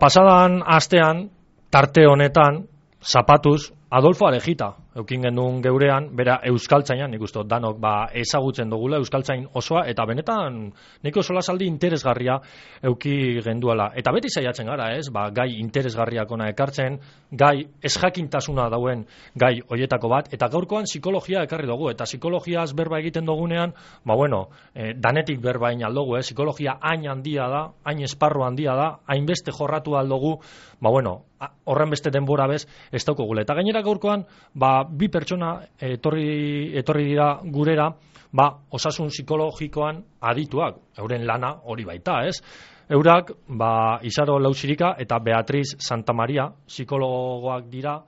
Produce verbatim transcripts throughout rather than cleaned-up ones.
Pasadan astean, tarte honetan, zapatuz, Adolfo Arejita, eukin genuen geurean, bera euskaltzainan, nik uste danok ba, ezagutzen dugula euskaltzain osoa, eta benetan nik oso lasaldi interesgarria euki genduala. Eta beti saiatzen gara, ez, ba, gai interesgarriak ona ekartzen, gai ezjakintasuna dauen gai hoietako bat, eta gaurkoan psikologia ekarri dugu, eta psikologiaz berba egiten dugunean, ba bueno, eh, danetik berba hain aldogu, eh, psikologia hain handia da, hain esparru handia da, hainbeste jorratu aldogu, ba bueno, horren beste denbora bez, ez daukogule. Eta gainera gaurkoan, ba, bi pertsona etorri, etorri dira gurera, ba, osasun psikologikoan adituak, euren lana hori baita, ez? Eurak, ba, Isaro Lausirika eta Beatriz Santamaria, psikologoak dira,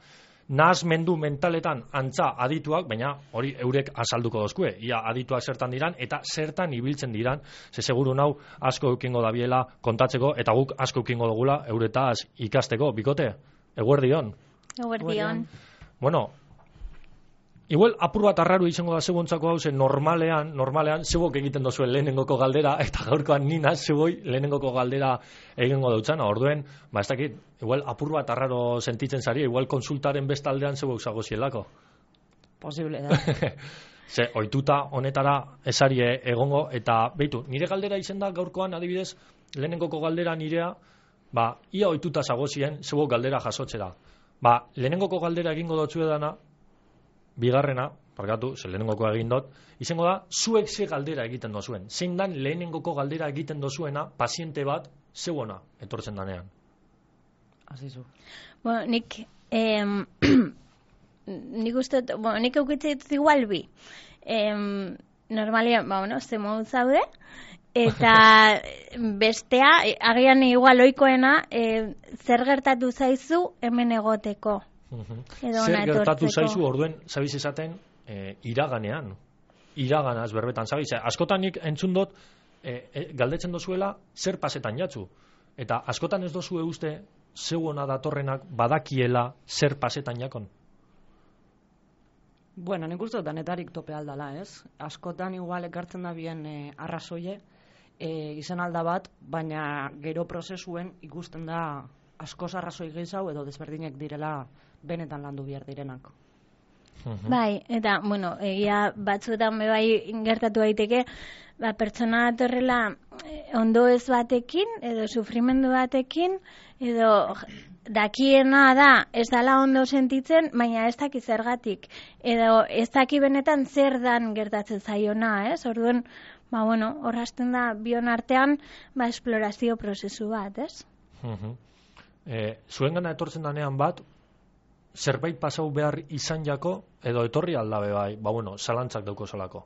nahasmendu mentaletan antza adituak, baina hori eurek azalduko dozkue, ia adituak zertan diran, eta zertan ibiltzen diran, ze seguru nau asko eukingo dabiela kontatzeko, eta guk asko eukingo dugula euretaz ikasteko, bikote, eguerdion. Eguerdion. Bueno, igual apur bat arraru izango da seguntzako hau, ze normalean, normalean, zebok egiten dozuen lehenengoko galdera, eta gaurkoan nina zeboi lehenengoko galdera egingo dutzana, orduen, ba ez dakit, igual apur bat arraro sentitzen zari, igual konsultaren bestaldean zebok zago zielako. Posible da. Ze, oituta honetara esarie egongo, eta beitu, nire galdera izen da gaurkoan adibidez, lehenengoko galdera nirea, ba, ia oituta zagozien, zebok galdera jasotzera. Ba, lehenengoko galdera egingo dotzu edana, bigarrena, parkatu, ze lehenengoko egin dut, izango da, zuek ze galdera egiten dozuen. Zein dan lehenengoko galdera egiten dozuena, paziente bat, zeuona, etortzen danean. Azizu. Bueno, nik, eh, nik uste, bueno, nik eukitze ditut igual bi. Eh, normalian, ba, bueno, ze modu zaude, eta bestea, agian igual oikoena, eh, zer gertatu zaizu hemen egoteko. Zer gertatu zaizu orduen, zabiz esaten, e, iraganean. Iraganaz berbetan, zabiz. Askotan nik entzun dut, e, e, galdetzen dozuela, zer pasetan jatzu. Eta askotan ez dozue uste, zeuona datorrenak badakiela zer pasetan jakon. Bueno, nik uste danetarik tope aldala, ez? Askotan igual ekartzen da bien e, arrazoie, e, izan alda bat, baina gero prozesuen ikusten da askoz arrazoi gehiago edo desberdinek direla benetan landu behar direnak. Bai, eta, bueno, egia batzuetan bai gertatu daiteke, ba, pertsona datorrela ondo ez batekin, edo sufrimendu batekin, edo dakiena da ez dala ondo sentitzen, baina ez daki zergatik, edo ez daki benetan zer dan gertatzen zaiona, ez? Orduan, ba, bueno, horrazten da bion artean, ba, esplorazio prozesu bat, ez? E, zuen gana etortzen danean bat, zerbait pasau behar izan jako, edo etorri aldabe bai, ba bueno, zalantzak dauko zolako.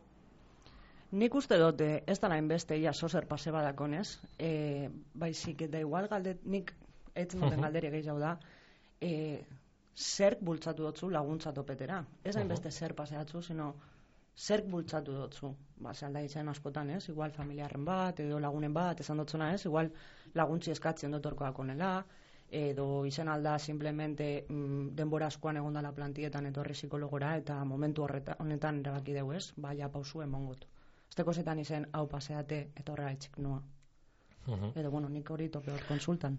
Nik uste dut, ez da nahin beste, ia sozer pase badakonez, e, baizik eta igual galdet, nik etzen duten uh-huh. galderi gehiago da, e, zerk bultzatu dutzu laguntza topetera. Ez hain beste uh-huh. zer paseatzu, sino zerk bultzatu dutzu. Ba, zalda izan askotan, ez? Igual familiarren bat, edo lagunen bat, esan dutzuna, ez? Igual laguntzi eskatzen dotorkoak onela, edo izan alda simplemente mm, denbora askoan egondala plantietan etorri psikologora eta momentu horreta, honetan erabaki dugu, ez? Baina pausu emongot. Esteko zetan izen hau paseate eta horrela itxik noa. Uh-huh. Edo, bueno, nik hori tope hor konsultan.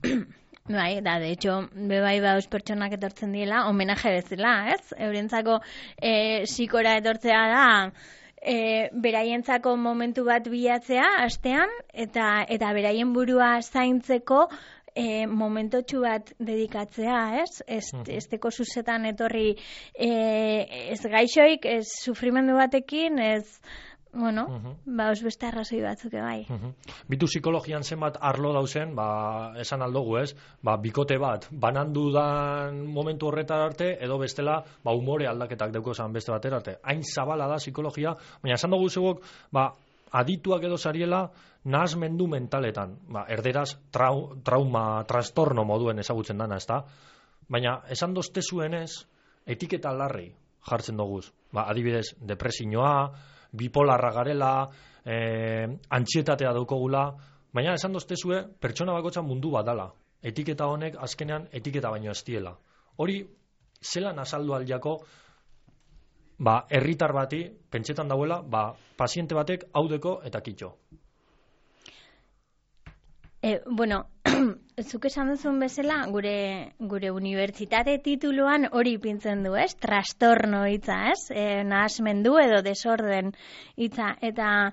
Bai, da, de hecho, bebai bauz pertsonak etortzen diela, homenaje bezala, ez? Eurentzako e, psikora etortzea da, e, beraientzako momentu bat bilatzea, astean, eta, eta beraien burua zaintzeko E, momentotxu bat dedikatzea, ez? Ez, uh-huh. ez teko zuzetan etorri e, ez gaixoik, ez sufrimendu batekin, ez, bueno, uh-huh. ba, os beste arrazoi batzuk bai. Uh-huh. Bitu psikologian zenbat arlo dauzen, ba, esan aldogu, ez? Ba, bikote bat, banandu dan momentu horretar arte, edo bestela, ba, umore aldaketak dauko zan beste batera arte. Hain zabala da psikologia, baina esan dugu zeuok, ba, adituak edo zariela, nahasmendu mentaletan, ba, erderaz trau, trauma, trastorno moduen ezagutzen dana, ezta? Baina, esan dozte zuenez, etiketa larri jartzen doguz. Ba, adibidez, depresioa, bipolarra garela, e, antxietatea daukogula, baina esan dozte zue, pertsona bakotza mundu bat dala. Etiketa honek, azkenean, etiketa baino ez diela. Hori, zelan azaldu aldiako, ba, herritar bati, pentsetan dauela, ba, paziente batek haudeko eta kitxo. E, bueno, zuk esan duzun bezala, gure gure unibertsitate tituluan hori ipintzen du, ez? Trastorno hitza, ez? E, nahasmendu edo desorden hitza. Eta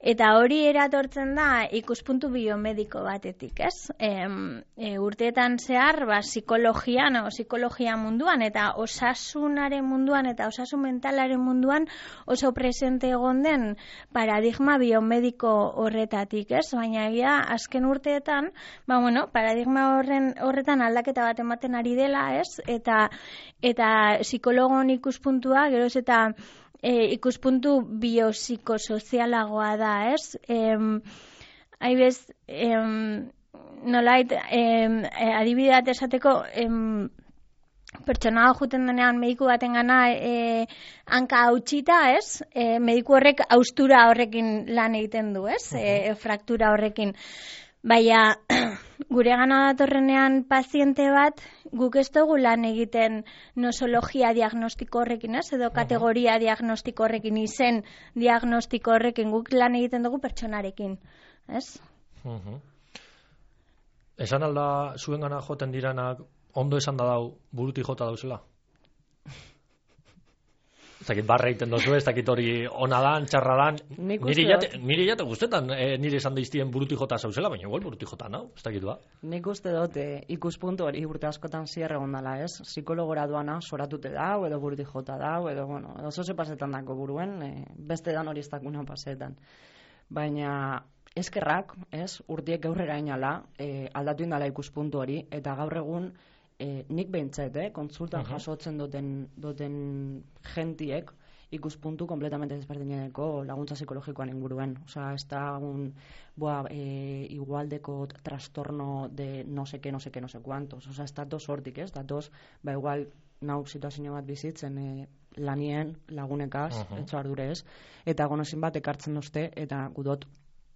eta hori eratortzen da ikuspuntu biomediko batetik, ez? E, e, urteetan zehar, ba, psikologian o psikologia munduan eta osasunaren munduan eta osasun mentalaren munduan oso presente egon den paradigma biomediko horretatik, ez? Baina egia azken urteetan, ba bueno, paradigma horren horretan aldaketa bat ematen ari dela, ez? Eta eta psikologon ikuspuntua geroz eta e, ikuspuntu biopsikosozialagoa da, ez? Em, haibez, em, nolait, em, adibide bat esateko, em, pertsona juten denean mediku baten gana e, hanka hautsita, ez? E, mediku horrek haustura horrekin lan egiten du, ez? E, fraktura horrekin. Baina, gure gana datorrenean paziente bat, guk ez dugu lan egiten nosologia diagnostiko horrekin, ez? Edo kategoria diagnostiko horrekin, izen diagnostiko horrekin, guk lan egiten dugu pertsonarekin, ez? Uh-huh. Esan alda zuen gana joten diranak, ondo esan da dau, burutik jota dauzela? Ez dakit barra egiten dozu, ez dakit hori ona dan, txarra dan. Nire jate, nire jate guztetan e, nire esan daiztien burutik jota zauzela, baina igual burutik jota, no? Ez dakit ba. Nik uste dut e, ikuspuntu hori urte askotan zierre gondala, ez? Psikologora duana soratute dau, edo burutik jota dau, edo, bueno, oso ze pasetan dako buruen, e, beste dan hori ez dakuna pasetan. Baina eskerrak, ez? Urtiek aurrera inala, e, aldatu indala ikuspuntu hori, eta gaur egun E, nik behintzat, eh, kontsultan uh-huh. jasotzen duten, duten gentiek ikuspuntu kompletamente desberdineko laguntza psikologikoan inguruen. Osea, ez da un boa, e, igualdeko trastorno de no seke, no seke, no se cuantos. Osea, ez datoz hortik, ez? Datoz, ba igual, nau situazio bat bizitzen e, lanien lagunekaz, uh-huh. etxo ardure ez, eta gonozin bat ekartzen dozte, eta gudot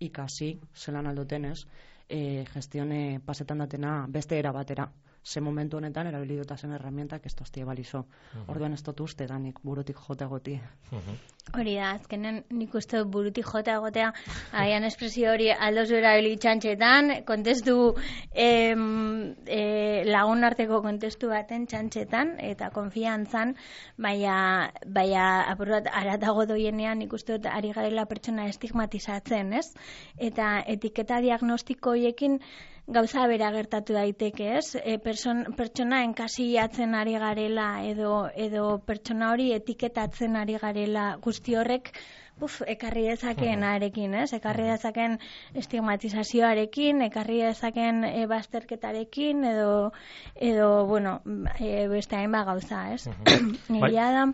ikasi, zelan aldoten ez, e, gestione pasetan datena beste era batera. Ze momentu honetan erabilidota zen herramientak ez toztie balizo. Uh-huh. Orduan ez dut uste danik burutik jota goti. Uh-huh. Hori da, azkenen nik uste burutik jota egotea, agian espresio hori aldozu erabili txantxetan, kontestu em, e, lagun arteko kontestu baten txantxetan, eta konfiantzan, baina, baina apur bat aratago doienean nik uste dut ari garela pertsona estigmatizatzen, ez? Eta etiketa diagnostiko horiekin gauza bera gertatu daiteke, ez? E, person, pertsona enkasiatzen ari garela edo, edo pertsona hori etiketatzen ari garela guzti horrek uf, ekarri dezaken arekin, ez? Ekarri dezaken estigmatizazioarekin, ekarri dezaken e, bazterketarekin edo, edo bueno, e, beste hainba gauza, ez? Egia da...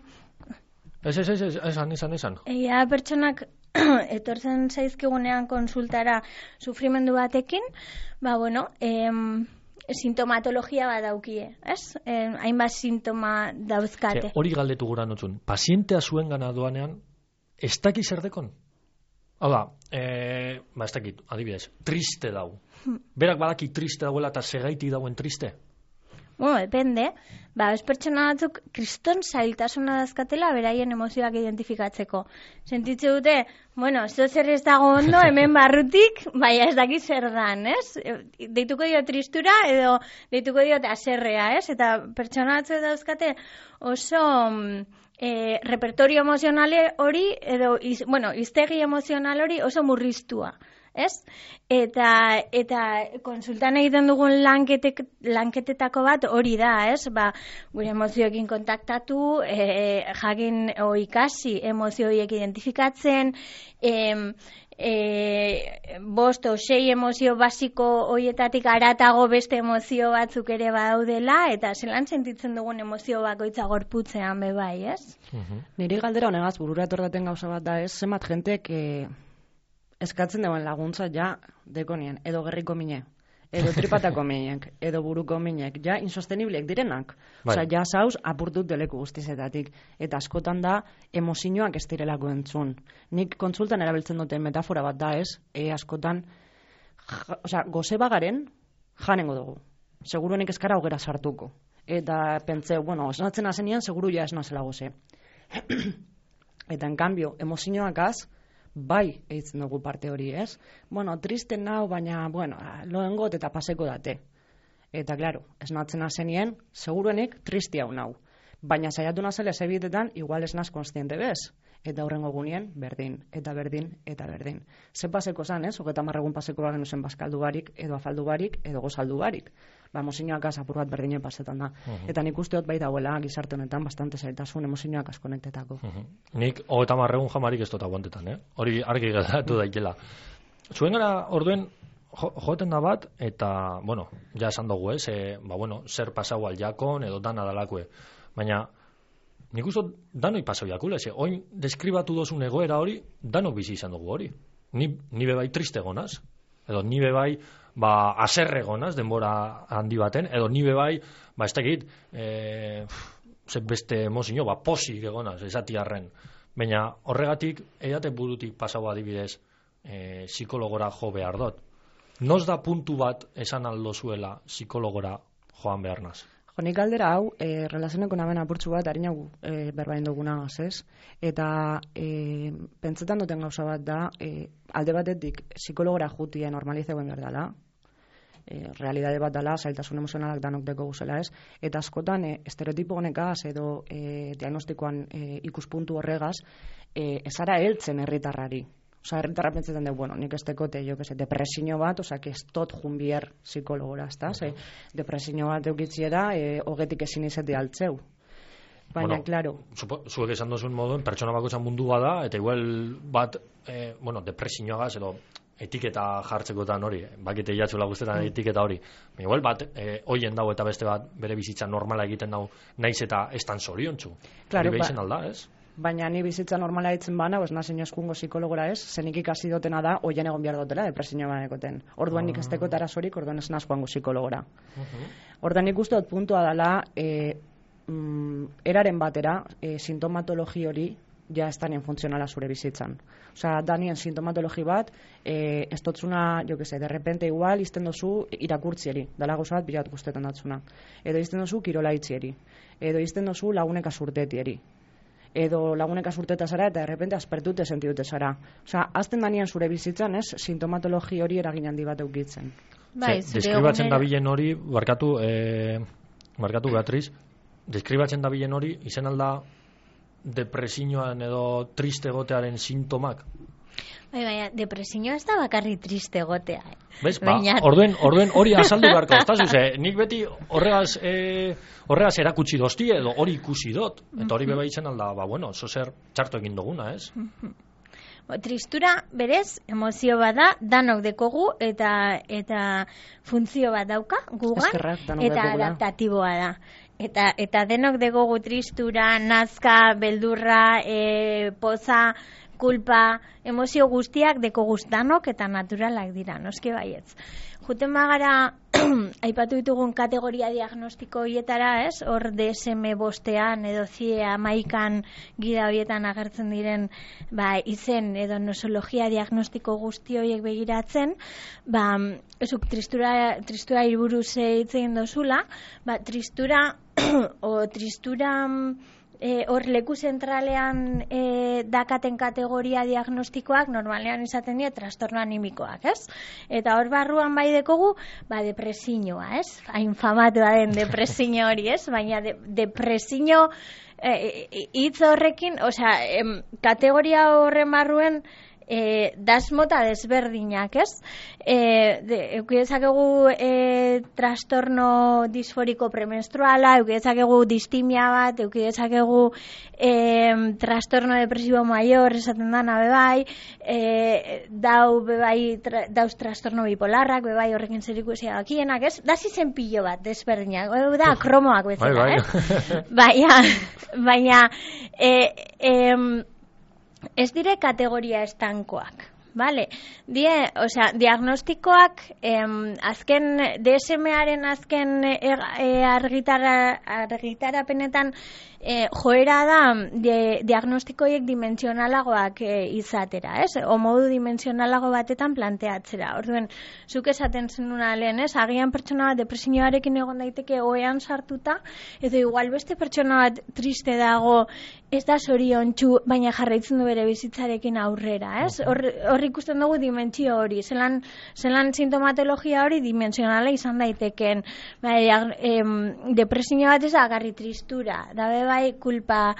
Ez, ez, ez, ez, esan, esan, esan. Egia pertsonak etortzen zaizkigunean konsultara sufrimendu batekin, ba, bueno, em, sintomatologia bat daukie, ez? Em, hainbat sintoma dauzkate. Hori galdetu gura notzun, pazientea zuen gana doanean, ez daki zer dekon? Hau da, e, ba, ez dakit, adibidez, triste dau. Berak badaki triste dauela eta segaitik dauen triste? Bueno, depende. Ba, ez pertsona batzuk kriston zailtasuna dazkatela beraien emozioak identifikatzeko. Sentitze dute, bueno, zo zer ez dago ondo, hemen barrutik, baina ez daki zer dan, ez? Deituko dio tristura edo deituko dio aserrea, ez? Eta pertsona batzuk dauzkate oso e, repertorio emozionale hori, edo, iz, bueno, iztegi emozional hori oso murriztua. Ez? Eta, eta konsultan egiten dugun lanketek, lanketetako bat hori da, ez? Ba, gure emozioekin kontaktatu, e, jakin o ikasi emozio horiek identifikatzen, e, e, bost o sei emozio basiko horietatik aratago beste emozio batzuk ere badaudela, eta zelan sentitzen dugun emozio bakoitza gorputzean bebai, ez? Uh-huh. Niri galdera honegaz burura etordaten gauza bat da, ez? Zenbat jentek... E... eskatzen dagoen laguntza ja dekonien, edo gerriko mine, edo tripatako minek, edo buruko minek, ja insosteniblek direnak. Bai. Osea, ja zauz apurtut deleku guztizetatik. Eta askotan da, emozioak ez direlako entzun. Nik kontsultan erabiltzen duten metafora bat da ez, e askotan, ja, osea, goze bagaren, janengo dugu. Seguru nik eskara hogera sartuko. Eta pentseu, bueno, esnatzen azenian, seguru ja esnazela goze. Eta en cambio, emozioak az, bai eitzen dugu parte hori, ez? Bueno, triste nau, baina, bueno, loengot eta paseko date. Eta, klaro, esnatzen azenien, seguruenik tristi hau nau. Baina saiatu nazela ezebitetan, igual ez naz konstiente bez. Eta horrengo gunien, berdin, eta berdin, eta berdin. Ze paseko zan, ez? Hogeta marregun paseko bagen usen bazkaldu barik, edo afaldu barik, edo gozaldu barik. Ba, emozioak apur bat berdinen pasetan da. Uh-huh. Eta nik usteot bai dauela gizarte honetan bastante zailtasun emozioak askonektetako. Uh-huh. Nik hogeta marregun jamarik ez dut aguantetan, eh? Hori argi gertatu daitela. Zuen gara orduen jo, joeten da bat, eta, bueno, ja esan dugu, ez? E, ba, bueno, zer pasau aljakon, edo dana dalakue. Baina, nik uste danoi pasau jakule, ze, oin deskribatu dozun egoera hori, danok bizi izan dugu hori. Ni, ni bebai triste gonaz, edo ni bebai ba, aserre gonaz, denbora handi baten, edo ni bebai, ba, ez dakit, e, ze beste emozio, ba, posik egonaz, esati arren. Baina horregatik, eiate burutik pasau adibidez, e, psikologora jo behar dut. Noz da puntu bat esan aldo zuela psikologora joan behar naz? Nik galdera hau, e, relazioneko namen apurtzu bat, harina gu e, berbain duguna ez? Eta e, pentsetan duten gauza bat da, e, alde batetik psikologora jutia normalizeuen behar dela, e, realidade bat dela, zailtasun emozionalak danok deko guzela ez, eta askotan e, estereotipo honekaz edo e, diagnostikoan e, ikuspuntu horregaz, e, ezara heltzen herritarrari. Osa, herritarra pentsetan dugu, bueno, nik ez tekote, jo, que depresio bat, osa, que ez tot junbier psikologora, ez da? Ze, depresio bat eukitziera, e, hogetik ezin izate altzeu. Baina, bueno, klaro. Zuek esan dozun moduen, pertsona bakoitzan mundu bada, eta igual bat, e, bueno, depresioagaz, edo etiketa jartzekotan hori, bakite jatzula guztetan mm. etiketa hori. Igual bat, e, hoien dago eta beste bat, bere bizitza normala egiten dago, naiz eta estan zoriontzu. Claro, hori behizen alda, ez? Baina ni bizitza normala ditzen bana, ez nazen eskungo psikologora ez, zenik ikasi dotena da, oien egon behar dutela, depresioa banekoten. Orduan nik ez tekot arazorik, orduan ez nazkoango psikologora. Uh-huh. Orduan nik uste dut puntua dela, e, mm, eraren batera, e, sintomatologi hori, ja ez danien funtzionala zure bizitzan. Osea, danien sintomatologi bat, e, ez dotzuna, jo que se, de repente igual, izten dozu irakurtzieri, dala gauza bat bilat guztetan datzuna. Edo izten dozu kirolaitzieri. Edo izten dozu laguneka surtetieri. Edo laguneka surteta zara eta errepente aspertute sentidute zara. Osea, azten danian zure bizitzan, ez, sintomatologi hori eragin handi bat eukitzen. Bai, deskribatzen dabilen hori, barkatu, eh, barkatu Beatriz, deskribatzen dabilen hori, izen alda depresioan edo triste gotearen sintomak? Bai, baina, depresioa ez da bakarri triste gotea. Eh? Bez, ba, baina... orduen, orduen hori azaldu beharko, ez da zuze, nik beti horregaz, e, horregaz erakutsi dozti edo hori ikusi dot, eta hori beba itzen alda, ba, bueno, zozer txarto egin duguna, ez? Bo, tristura, berez, emozio bada, danok dekogu, eta eta funtzio bat dauka, gugan, Eskerrak, eta adaptatiboa da. Eta, eta denok dekogu tristura, nazka, beldurra, e, poza, kulpa, emozio guztiak deko guztanok eta naturalak dira, noski baietz. Juten bagara, aipatu ditugun kategoria diagnostiko horietara, ez? Hor D S M bostean edo C I E amaikan gida horietan agertzen diren ba, izen edo nosologia diagnostiko guzti horiek begiratzen, ba, ezuk tristura, tristura irburuz hitz egin dozula, ba, tristura o tristura E, hor leku zentralean e, dakaten kategoria diagnostikoak normalean izaten dira trastorno animikoak, ez? Eta hor barruan bai dekogu, ba, depresioa, ez? Hain famatua den depresio hori, ez? Baina de, depresio hitz e, horrekin, osea, em, kategoria horren barruen E, dasmota desberdinak, ez? E, de, eukidezakegu e, trastorno disforiko premenstruala, eukidezakegu distimia bat, eukidezakegu e, trastorno depresibo maior, esaten dana bebai, e, dau bebai, tra, dauz trastorno bipolarrak, bebai horrekin zerikusia dakienak, ez? Da zizen pilo bat desberdinak, da kromoak bezala, bai, bai. eh? Baina, baina, e, e, ez dire kategoria estankoak, vale? Die, osea, diagnostikoak em, azken D S M-aren azken er, e, argitara, argitarapenetan e, joera da de, diagnostikoiek dimensionalagoak e, izatera, ez? O modu dimensionalago batetan planteatzera. Orduen, zuk esaten zenuna lehen, ez? Agian pertsona bat depresioarekin egon daiteke ohean sartuta, edo igual beste pertsona bat triste dago ez da zoriontsu, baina jarraitzen du bere bizitzarekin aurrera, ez? Hor, hor ikusten dugu dimentsio hori, zelan, zelan sintomatologia hori dimensionala izan daiteken, bai, em, depresio bat ez agarri tristura, da bai kulpa,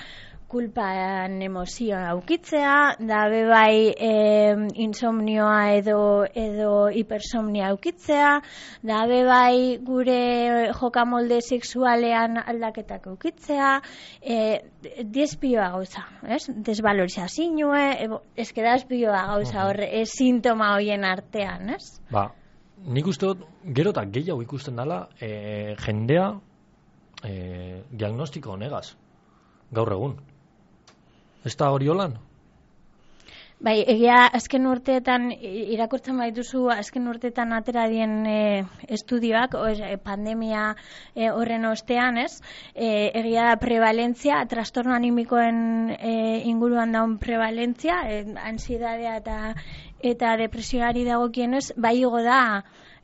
kulpan emozioa aukitzea, da bai eh, insomnioa edo edo hipersomnia aukitzea, da bai gure jokamolde sexualean aldaketak aukitzea, eh, despioa gauza, ez? Desvalorizazioa, eske da despioa gauza hor, ez sintoma hoien artean, ez? Ba, nik uste dut, gero eta gehiago ikusten dela, eh, jendea eh, diagnostiko honegaz, gaur egun. Ez da hori holan? Bai, egia azken urteetan, irakurtzen baituzu, azken urteetan atera dien e, estudioak, o, e, pandemia e, horren ostean, ez? E, egia prevalentzia, trastorno animikoen e, inguruan daun prevalentzia, e, ansiedadea eta, eta depresioari dagokienez, bai igo da,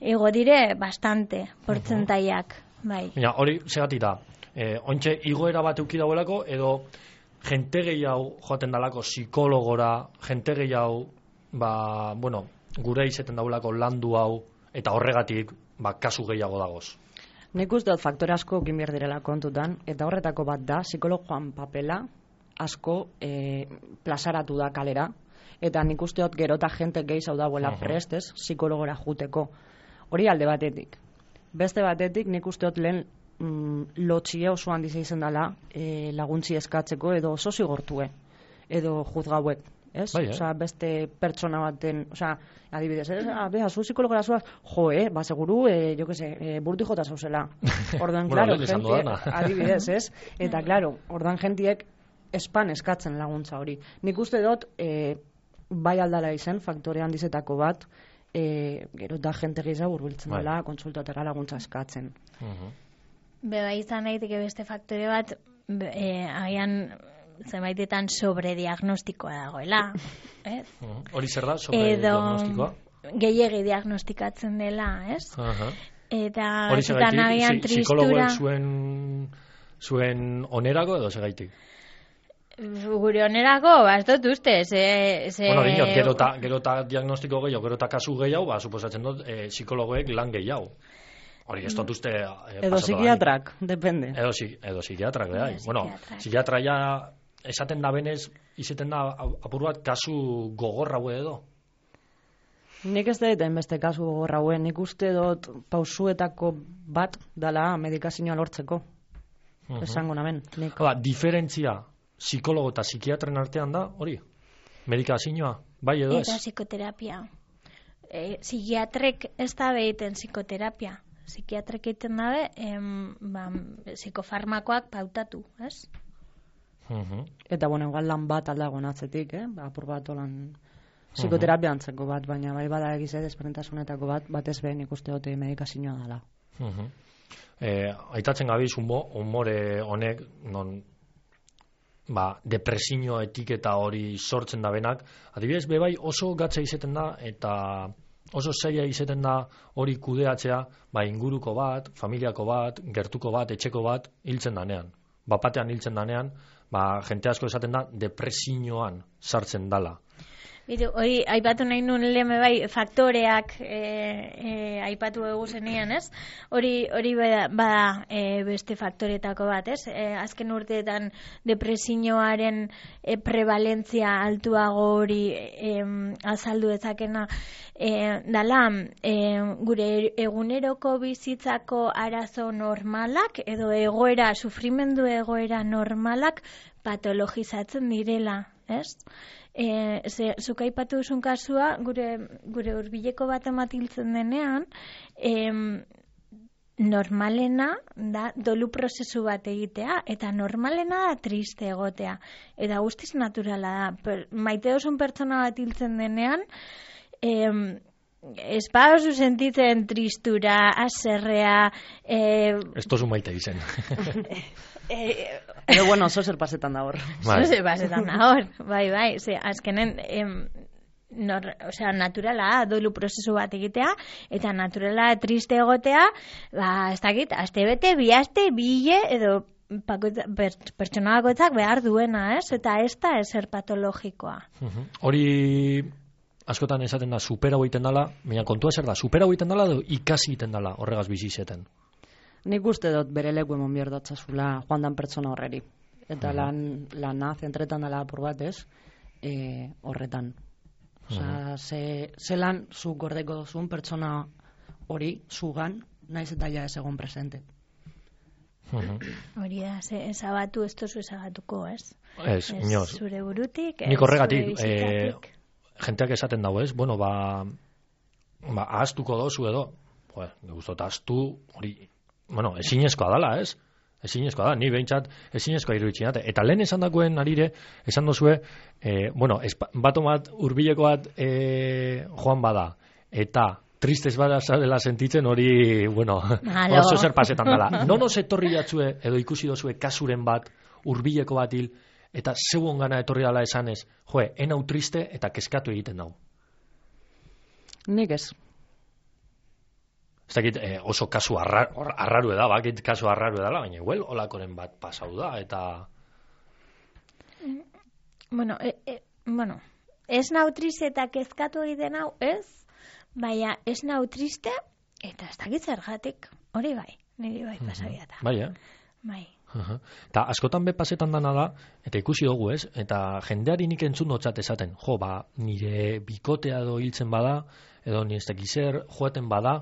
igo dire bastante, portzentaiak, bai. Ja, hori, segatik da, e, ontxe igoera bat euki dagoelako, edo jente gehiago joaten dalako psikologora, jente gehiago, ba, bueno, gure izeten daulako landu hau, eta horregatik, ba, kasu gehiago dagoz. Nik uste dut faktore asko egin behar direla kontutan, eta horretako bat da, psikologoan papela asko e, plazaratu da kalera, eta nik uste dut gero eta jente gehiago dauela uh -huh. prestez, psikologora juteko. Hori alde batetik. Beste batetik, nik uste dut lehen lotxia oso handiz izan dela e, laguntzi eskatzeko edo oso zigortue edo juzgauek, ez? Bai, eh? Osea, beste pertsona baten, osea, adibidez, ez? Ah, beha, zu psikologora zuaz, jo, eh, ba, seguru, eh, jo que se, eh, burti jota zauzela. Orduan, bueno, claro, gente, adibidez, ez? Eta, claro, orduan gentiek espan eskatzen laguntza hori. Nik uste dut, eh, bai aldala izen, faktore handizetako bat, eh, gero da jente gehiago urbiltzen bai. dela, konsultatera laguntza eskatzen. Uh -huh. Beba izan daiteke beste faktore bat, e, agian zenbaitetan sobrediagnostikoa dagoela, ez? Hori zer da, sobrediagnostikoa? Edo gehiegi diagnostikatzen dela, ez? Uh -huh. Eta hori agian tristura... Psikologoek zuen, zuen onerako edo segaitik? Gure onerako, ba, ez dut uste, ze... ze... Bueno, dinot, gero eta gero ta diagnostiko gehiago, gero eta kasu gehiago, ba, suposatzen dut, e, psikologoek lan gehiago. Hori, ez dut uste... E, edo psikiatrak, depende. Edo, edo psikiatrak, edo, edo bueno, psikiatra ja esaten da benez, izeten da apur bat kasu gogorra hue edo? Nik ez da beste kasu gogorra hue, nik uste dut pausuetako bat dala medikazioa lortzeko. Uh -huh. Esango namen. Nik. Hala, diferentzia psikologo eta psikiatren artean da, hori? Medikazioa, bai edo ez? Eta psikoterapia. E, psikiatrek ez da behiten psikoterapia. Psikiatrek egiten dabe, em, ba, psikofarmakoak pautatu, ez? Uh -huh. Eta, bueno, igual lan bat aldagoen atzetik, eh? Ba, apur bat olan psikoterapia antzeko bat, baina bai bada egize desperentasunetako bat, batez behin ikuste dute medikazioa dela. Uh -huh. eh, aitatzen gabiz umore honek, non, ba, depresio etiketa hori sortzen da benak, adibidez, bebai oso gatza izeten da, eta... oso zaila izeten da hori kudeatzea, ba, inguruko bat, familiako bat, gertuko bat, etxeko bat, hiltzen danean. Bapatean hiltzen danean, ba, jente asko esaten da, depresioan sartzen dala. Bitu, hori, aipatu nahi nuen lehme bai, faktoreak e, e, aipatu egu zenian, ez? Hori, hori bada, bada e, beste faktoretako bat, ez? E, azken urteetan depresioaren e, prevalentzia altuago hori e, azaldu ezakena e, dala, e, gure eguneroko bizitzako arazo normalak, edo egoera, sufrimendu egoera normalak patologizatzen direla, ez? E, ze, zuk aipatu duzun kasua, gure, gure hurbileko bat ematiltzen denean, em, normalena da dolu prozesu bat egitea, eta normalena da triste egotea. Eta guztiz naturala da. Per, maite duzun pertsona bat hiltzen denean, em, ez ba oso sentitzen tristura, aserrea... Eh, ez tozu maite izen. Eh, Pero bueno, oso zer pasetan da hor. Oso zer pasetan da hor, bai, bai. Ze, azkenen, em, nor, o sea, naturala, dolu prozesu bat egitea, eta naturala triste egotea, ba, ez dakit, aste bete, bi aste, bile, edo bakoitza, pertsona bakoitzak behar duena, ez? Eta ez da ezer patologikoa. Uh-huh. Hori askotan esaten da supera egiten dela, baina kontua zer da, supera egiten dela edo ikasi egiten dela horregaz bizizeten. Nik uste dut bere leku emon behar datzazula joan dan pertsona horreri. Eta uh-huh. lan, lana zentretan dela apur bat ez, e, horretan. Osa, uh-huh. ze, ze lan zu gordeko dozun pertsona hori, zugan, naiz eta ja ez egon presente. Uh-huh. Hori da, ze, ezabatu ez tozu ezabatuko, ez? Ez, inoz. Zure burutik, nik horregatik, zure bizitatik. Eh, jenteak esaten dago, ez? Bueno, ba, ba ahaztuko dozu edo, joder, gustot ahaztu, hori, bueno, ezinezkoa dala, ez? Ezinezkoa da, ni behintzat ezinezkoa iruditzen dute. Eta lehen esan dagoen arire, esan dozue, eh, bueno, bato bat, urbileko bat eh, joan bada, eta tristez bada dela sentitzen hori, bueno, oso zer pasetan dela. Nono etorri jatzue, edo ikusi dozue kasuren bat, urbileko bat hil, eta zeuon gana etorri dela esanez, joe, enau triste eta keskatu egiten dau. Nik ez. Ez dakit, eh, oso kasu arra, arraru eda, bakit kasu arraru edala, baina igual olakoren bat pasau da, eta... Bueno, e, e, bueno, ez nau triste eta kezkatu egiten hau, ez? Baina ez nau triste eta ez dakit zergatik, hori bai, niri bai pasabiata. Bai, eh? Bai. Uh-huh. Ta askotan be pasetan dana da, eta ikusi dugu, ez? Eta jendeari nik entzun dotzat esaten, jo, ba, nire bikotea edo hiltzen bada, edo nire ez dakizer, joaten bada,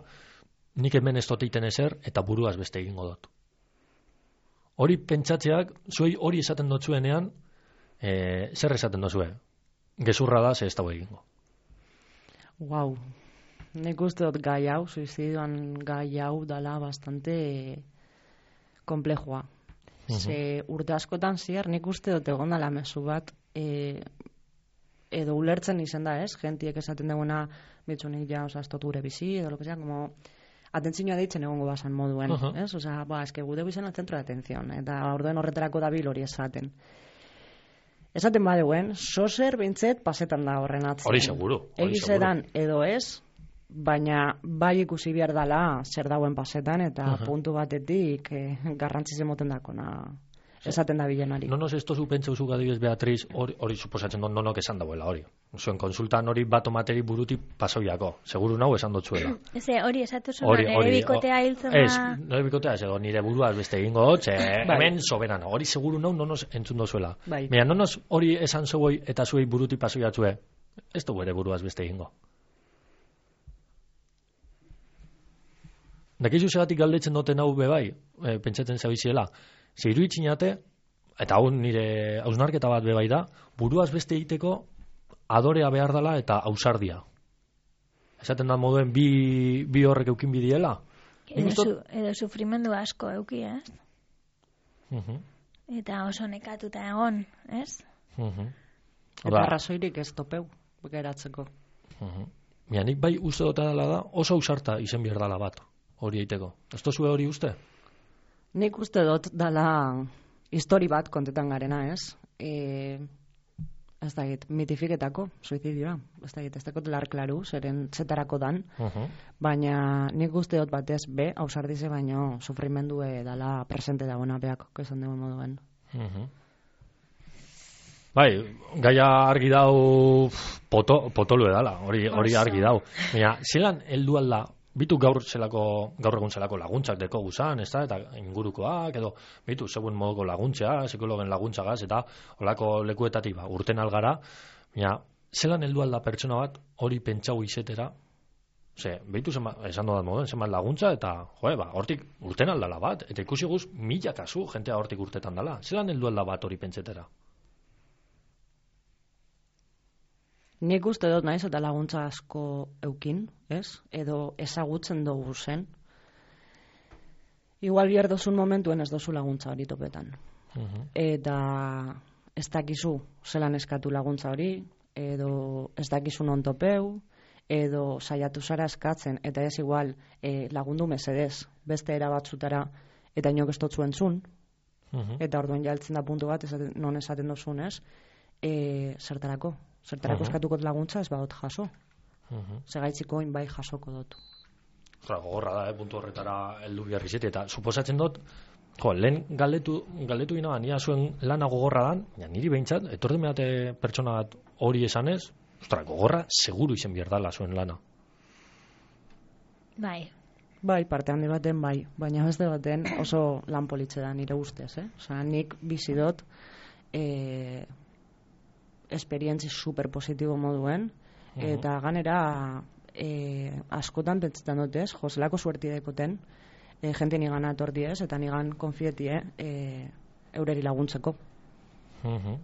nik hemen ez doteiten ezer, eta buruaz beste egingo dut. Hori pentsatzeak, zuei hori esaten dotzuenean, e, zer esaten dozue? Gezurra da, ze ez dago egingo. Wow. Nik uste dut gai hau, suizidioan gai hau dala bastante komplejua. Uh-huh. Ze urte askotan ziar, nik uste dut egon dala mezu bat, e, edo ulertzen izen da, ez? Gentiek esaten duguna, bitzunik ja, oza, estot gure bizi, edo lo que sea, como... Atentzioa deitzen egongo basan moduen, uh-huh. ez? Osa, ba, eske gude bizan al centro de atención, eta orduen horretarako dabil hori esaten. Esaten badeguen, sozer bintzet pasetan da horren atzen. Hori seguru. Egizedan edo ez, baina bai ikusi behar dala zer dauen pasetan, eta uh-huh. puntu batetik eh, garrantziz emoten dakona esaten da bilenari. Nonos esto zu pentsa uzuk adibidez Beatriz, hori, hori suposatzen dut nonok esan dagoela hori. Zuen konsultan hori bat omateri buruti pasoiako. Seguru nau esan dotzuela. Eze, hori esatu zuen, nire bikotea hiltzen da... Ez, nire bikotea ez edo nire buruaz beste egingo dut, hemen soberana. Hori seguru nau nonos entzun dozuela. Bai. Baina nonos hori esan zeuoi eta zuei buruti pasoiatzue, ez du bere buruaz beste egingo. Dakizu segatik galdetzen duten hau bebai, e, pentsatzen zabiziela, ze iruitzinate, eta hau nire hausnarketa bat bebai da, buruaz beste egiteko adorea behar dela eta ausardia. Esaten da moduen bi, bi horrek eukin bidiela. Edo, ustot... su, edo sufrimendu asko euki, ez? Uh-huh. Eta oso nekatuta egon, ez? Uh-huh. Eta razoirik ez topeu, geratzeko. Uh-huh. Mia, nik bai uste dota dela da, oso ausarta izen behar dela bat, hori eiteko. Ez tozue hori uste? Nik uste dut dala histori bat kontetan garena, ez? E, ez da git, mitifiketako suizidioa. Ez da git, ez dakot lar klaru, zeren zetarako dan. Uh-huh. Baina nik uste dut batez be, ausardize baino sufrimendue dala presente dagoena beak, kezan dugu moduen. Uh-huh. Bai, gaia argi dau poto, potolu edala, hori, hori argi dau. Baina, zelan heldu alda, bitu gaur zelako, gaur egun zelako laguntzak deko guzan, ez da, eta ingurukoak, edo, bitu, segun moduko laguntzea, psikologen laguntzagaz, eta olako lekuetatik, ba, urten algara, baina, zelan heldu alda pertsona bat, hori pentsau izetera, ze, bitu, zema, esan dodat moduen, zenbat laguntza, eta, joe, ba, hortik urten aldala bat, eta ikusi guz, mila kasu, jentea hortik urtetan dala, zelan heldu alda bat hori pentsetera? Nik uste dut naiz eta laguntza asko eukin, ez? Edo ezagutzen dugu zen. Igual bihar dozun momentuen ez dozu laguntza hori topetan. Uh-huh. Eta ez dakizu zelan eskatu laguntza hori, edo ez dakizu non topeu, edo saiatu zara eskatzen, eta ez igual e, lagundu mesedez beste era batzutara, eta inok ez dotzu entzun, uh-huh. eta orduan jaltzen da puntu bat, esaten, non esaten dozun ez, e, zertarako. Zertarako uh-huh. eskatukot laguntza ez badot jaso. Uh-huh. Segaitziko bai jasoko dut. Ostra, gogorra da, eh, puntu horretara heldu behar izete, eta suposatzen dut, Jo, lehen galdetu, galdetu gina, nia zuen lana gogorra dan, ja, niri behintzat, etorri meate pertsona bat hori esanez, ostra, gogorra seguru izen bierdala zuen lana. Bai. Bai, parte handi baten bai, baina beste baten oso lan politxe da nire ustez, eh? Osa, nik bizi dut eh, esperientzi super positibo moduen, uh-huh. eta ganera eh, askotan pentsetan dut ez, jozelako suerti dekoten, E, jente nigan atordi ez, eta nigan konfietie e, eureri laguntzeko. Uh-huh.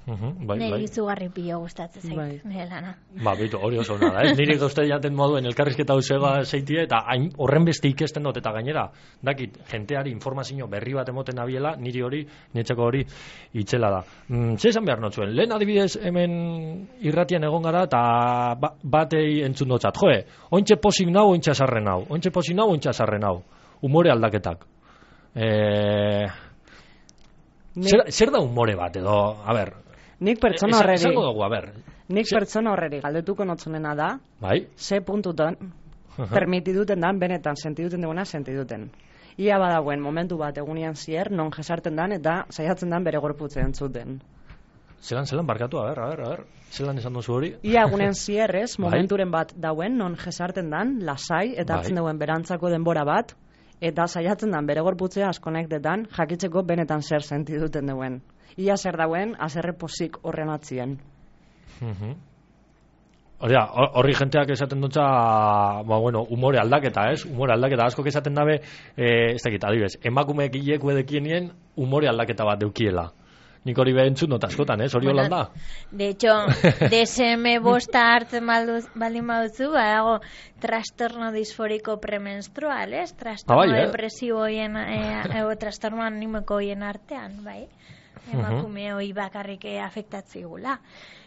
Uh-huh. Bai, Neri bai. izugarri pilo gustatzen zait, Bai. nire lana. Ba, bitu, hori oso nada, ez? Niri gauzte jaten moduen elkarrizketa usega zeitie, eta hain, horren beste ikesten dut, eta gainera, dakit, jenteari informazio berri bat emoten abiela, niri hori, nietzako hori, itxela da. Mm, ze esan behar notzuen, lehen adibidez hemen irratian egon gara, eta ba, batei entzun dotzat, joe, ointxe posik nau, ointxe asarren nau, ointxe posik nau, ointxe asarren nau, umore aldaketak. Eh... Zer, zer da umore bat, edo, a ber... Nik pertsona horreri... Esango dugu, a ber... Nik Zer... pertsona horreri galdetuko notzunena da, bai? ze puntutan, permitiduten dan, benetan, sentiduten duguna, sentiduten. Ia badagoen momentu bat egunian zier, non jesarten dan, eta saiatzen dan bere gorputze entzuten. Zelan, zelan, barkatu, a ber, a ber, a ber, zelan esan duzu hori? Ia egunen zierrez, momenturen bat dauen, non jesarten dan, lasai, eta hartzen bai. duen berantzako denbora bat, eta saiatzen dan bere gorputzea askonektetan, jakitzeko benetan zer sentiduten duen. Ia zer dauen, azerre posik horren atzien. Uh-huh. Horria, horri jenteak esaten dutza, ba, bueno, umore aldaketa, ez? Umore aldaketa, asko esaten dabe, eh, ez dakit, adibes, emakumeek hileko edekienien umore aldaketa bat deukiela. Nik hori behentzun dut askotan, ez? Hori Bueno, holan da? De hecho, D S M bosta hartzen balduz, baldin baduzu, badago trastorno disforiko premenstrual, ez? Trastorno Ah, bai, eh? depresiboien, eh, o trastorno animiko hoien artean, bai? Emakume hoi bakarrik afektatzigula.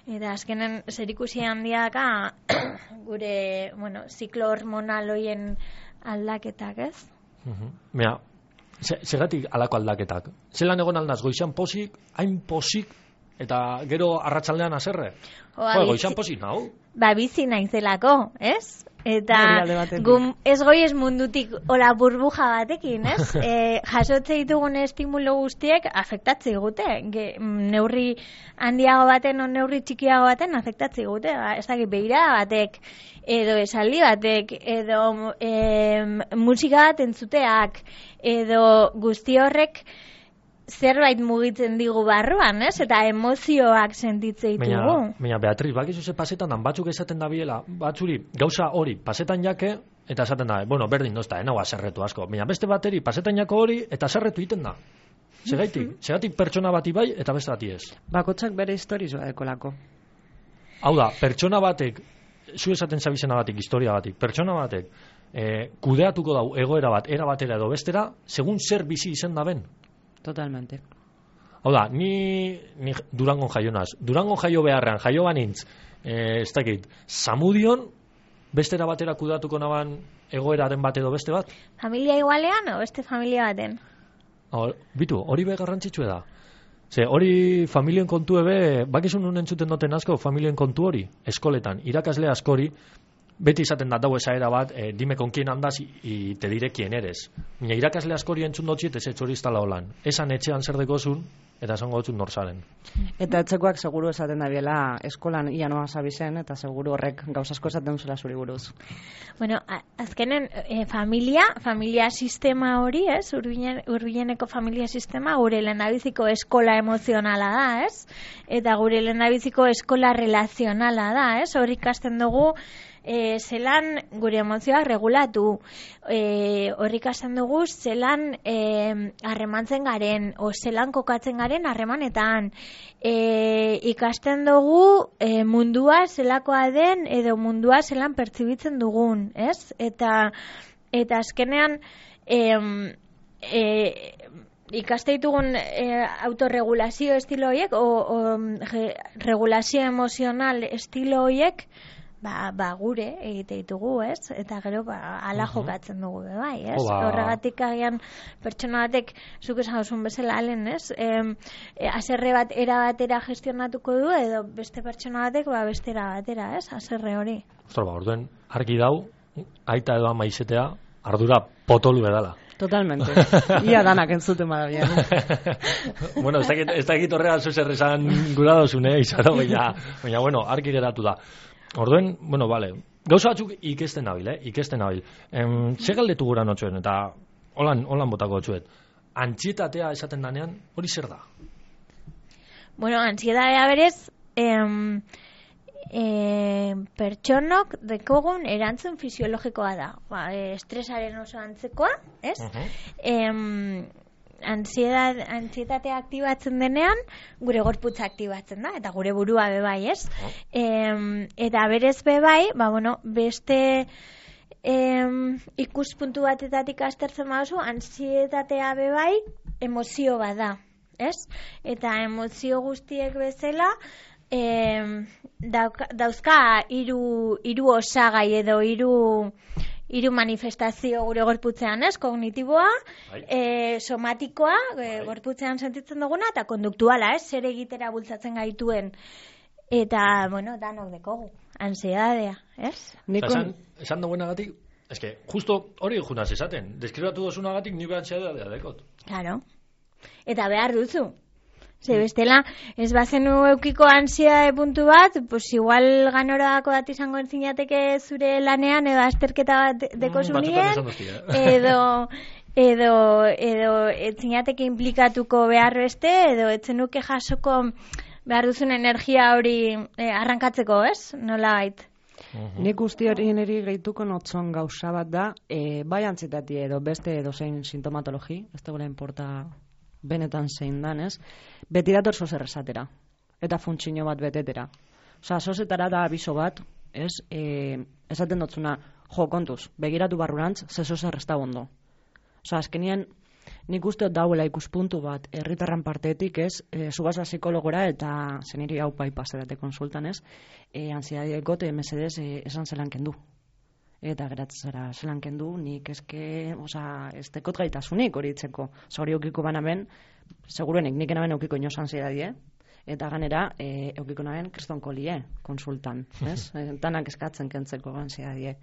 Eta azkenen zerikusi handiaka gure, bueno, ziklo hormonal hoien aldaketak, ez? Uh-huh. Mira, segatik alako aldaketak. Zelan egon aldaz, goizan posik, hain posik, eta gero arratsaldean azerre? Oa, Jo, bizi- goizan posik, nau? Ba, bizi naizelako, ez? Eta Hori alde batetik. gum, ez goiez mundutik ola burbuja batekin, ez? e, jasotze ditugun estimulo guztiek afektatzi gute. Ge, neurri handiago baten o neurri txikiago baten afektatzi gute. Ba, ez dakit begira batek, edo esaldi batek, edo e, musika bat entzuteak, edo guzti horrek zerbait mugitzen digu barruan, ez? Eta emozioak sentitze ditugu. Baina, baina Beatriz, bakizu ze pasetan dan batzuk esaten da biela, batzuri gauza hori pasetan jake, eta esaten da, bueno, berdin dozta, enau azerretu asko. Baina beste bateri pasetan jako hori, eta azerretu egiten da. Segaitik, segatik pertsona bati bai, eta beste bati ez. Bakotxak bere historizoa dekolako. Hau da, pertsona batek, zu esaten zabizena batik, historia batik, pertsona batek, eh, kudeatuko dau egoera bat, era batera edo bestera, segun zer bizi izen da ben. Totalmente. Hau da, ni, ni Durangon jaio naz. Durangon jaio beharrean, jaio banintz, eh, ez dakit, Zamudion, bestera batera kudatuko naban egoeraren bat edo beste bat? Familia igualean o beste familia baten? Hor, bitu, hori be garrantzitsue da. Ze, hori familien kontu ebe, bakizun nun entzuten duten asko, familien kontu hori, eskoletan, irakasle askori, beti izaten da dau esaera bat, eh, dime con quién andas y, y te diré quién eres. Mina irakasle askori entzun dotziet ez etxori iztala holan. Esan etxean zer dekozun, eta esango dutzun norzaren. Eta etxekoak seguru esaten da biela eskolan ia noa zabizen, eta seguru horrek gauzasko esaten zela zuri buruz. Bueno, a- azkenen e, familia, familia sistema hori, ez? Urbinen, urbileneko familia sistema gure lehendabiziko eskola emozionala da, ez? Eta gure lehendabiziko eskola relazionala da, ez? Hor ikasten dugu e, zelan gure emozioak regulatu, e, hor ikasten dugu zelan e, harremantzen garen, o zelan kokatzen garen harremanetan, e, ikasten dugu e, mundua zelakoa den edo mundua zelan pertsibitzen dugun, ez? Eta eta azkenean em, e, ikaste ditugun e, autorregulazio estilo horiek o, o ge, regulazio emozional estilo horiek ba, ba gure egite ditugu, ez? Eta gero ba hala jokatzen dugu be bai, ez? Jo, ba. Horregatik agian pertsona batek zuk esan duzun bezala alen, ez? Em, e, haserre bat era batera gestionatuko du edo beste pertsona batek ba bestera batera, ez? Haserre hori. Ostra, ba, orduen, argi dau, aita edo ama izetea, ardura potolu bedala. Totalmente. Ia danak entzuten badabian. Bueno, ez dakit, ez dakit horrean zuzer esan gura dozune, izaro, baina, baina, bueno, arki geratu da. Orduen, bueno, vale, gauza batzuk ikesten nabil, eh? Ikesten nabil. Em, ze galdetu gura notxuen, eta holan, holan botako txuet. Antzietatea esaten danean, hori zer da? Bueno, ansiedadea berez, em, E, pertsonok dekogun erantzun fisiologikoa da. Ba, e, estresaren oso antzekoa, ez? Uh-huh. E, ansiedad, ansietatea aktibatzen denean, gure gorputza aktibatzen da, eta gure burua bebai, ez? Uh-huh. E, eta berez bebai, ba, bueno, beste e, ikuspuntu batetatik aztertzen baduzu, ansietatea bebai emozio bat da, ez? Eta emozio guztiek bezala, E, dauka, dauzka hiru hiru osagai edo hiru hiru manifestazio gure gorputzean, ez? Kognitiboa, e, somatikoa, e, gorputzean sentitzen duguna, eta konduktuala, ez? Zer egitera bultzatzen gaituen. Eta, bueno, danok dekogu, ansiedadea, ez? Nikon... Esan, esan duenagatik, eske, justo hori junaz esaten, deskribatu dozunagatik nik ansiedadea dekot. Claro. Eta behar duzu. Ze bestela, ez bazenu eukiko ansiedade puntu bat, pues igual ganorako bat izango entzinateke zure lanean, edo azterketa bat deko zunien, edo, edo, edo entzinateke implikatuko behar beste, edo etzenuke jasoko behar duzun energia hori eh, arrankatzeko, ez? Nola bait? Uh-huh. Nik guzti hori niri gehituko notzon gauza bat da, e, bai antsietatea edo beste edo zein sintomatologi, ez dagoela inporta benetan zein danez, beti dator zozer esatera, eta funtsino bat betetera. Osa, zozetara da abiso bat, ez, e, esaten dotzuna, jo, kontuz, begiratu barrurantz, ze zozer ez da ondo. Osa, azkenien, nik uste dauela ikuspuntu bat, herritarran parteetik, ez, e, zubaza psikologora, eta zeniri hau pai paserate konsultan, ez, e, ansiedadeko te mesedez e, esan zelan kendu. Eta geratzera zelan kendu, nik eske, oza, ez tekot gaitasunik hori itzeko. Oza, hori eukiko banamen, seguruenik nik enaben eukiko inoz ansiedadie, eta ganera, e, eukiko naben kristonkolie konsultan, ez? Tanak eskatzen kentzeko ansiedadie.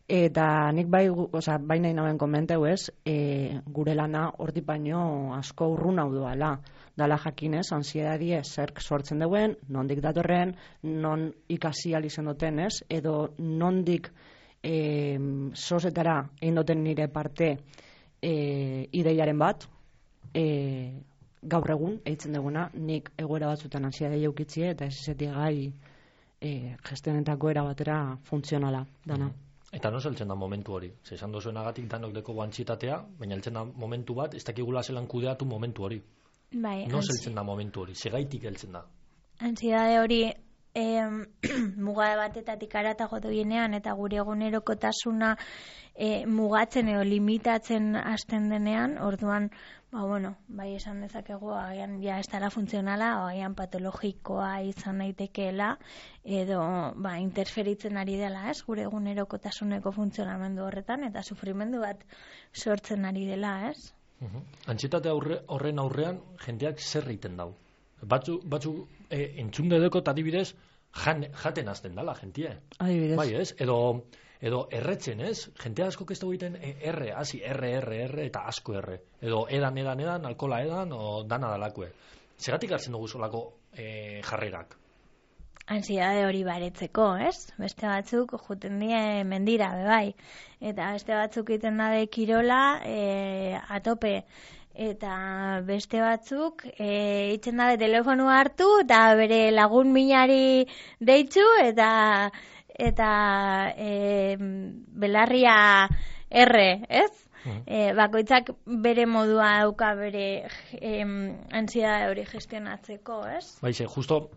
Eta nik bai, oza, bai nahi naben komenteu ez, e, gure lana horti baino asko urrun hau doala. Dala jakinez, ansiedadie zerk sortzen duen, nondik datorren, non ikasi alizen duten, ez? Edo nondik E, sozetara egin duten nire parte e, ideiaren bat, e, gaur egun eitzen duguna, nik egoera batzutan ansiedadea eukitzie eta ez izatea gai e, gestionetako era batera funtzionala dana. Eta no zeltzen da momentu hori? Ze esan dozuenagatik danok deko antsietatea, baina heltzen da momentu bat, ez dakigula zelan kudeatu momentu hori. Bai, no zeltzen da momentu hori, segaitik heltzen da. Ansiedade hori E, mugade batetatik aratago doienean eta gure egunerokotasuna e, mugatzen edo limitatzen hasten denean, orduan, ba bueno, bai esan dezakegu agian ja ez dela funtzionala, o agian patologikoa izan daitekeela edo ba interferitzen ari dela, ez? Gure egunerokotasuneko funtzionamendu horretan eta sufrimendu bat sortzen ari dela, ez? Uh-huh. Antsietate aurre, horren aurrean jendeak zer egiten dau? Batzu, batzu e, entzunde dekot adibidez jan, jaten azten dala jentie. Adibidez. Bai, ez? Edo, edo erretzen, ez? Jente asko ez dugu egiten e, erre, hasi erre, erre, erre eta asko erre. Edo edan, edan, edan, alkola edan, o dana dalakue. Zeratik hartzen dugu solako e, jarrerak? Ansiedade hori baretzeko, ez? Beste batzuk juten die mendira, bebai. Eta beste batzuk egiten dabe kirola e, atope. Eta beste batzuk e, itzen dabe telefonua hartu eta bere lagun minari deitzu eta eta e, belarria erre, ez? Uh-huh. E, bakoitzak bere modua dauka bere e, ansiedade hori gestionatzeko, ez? Baixe, justo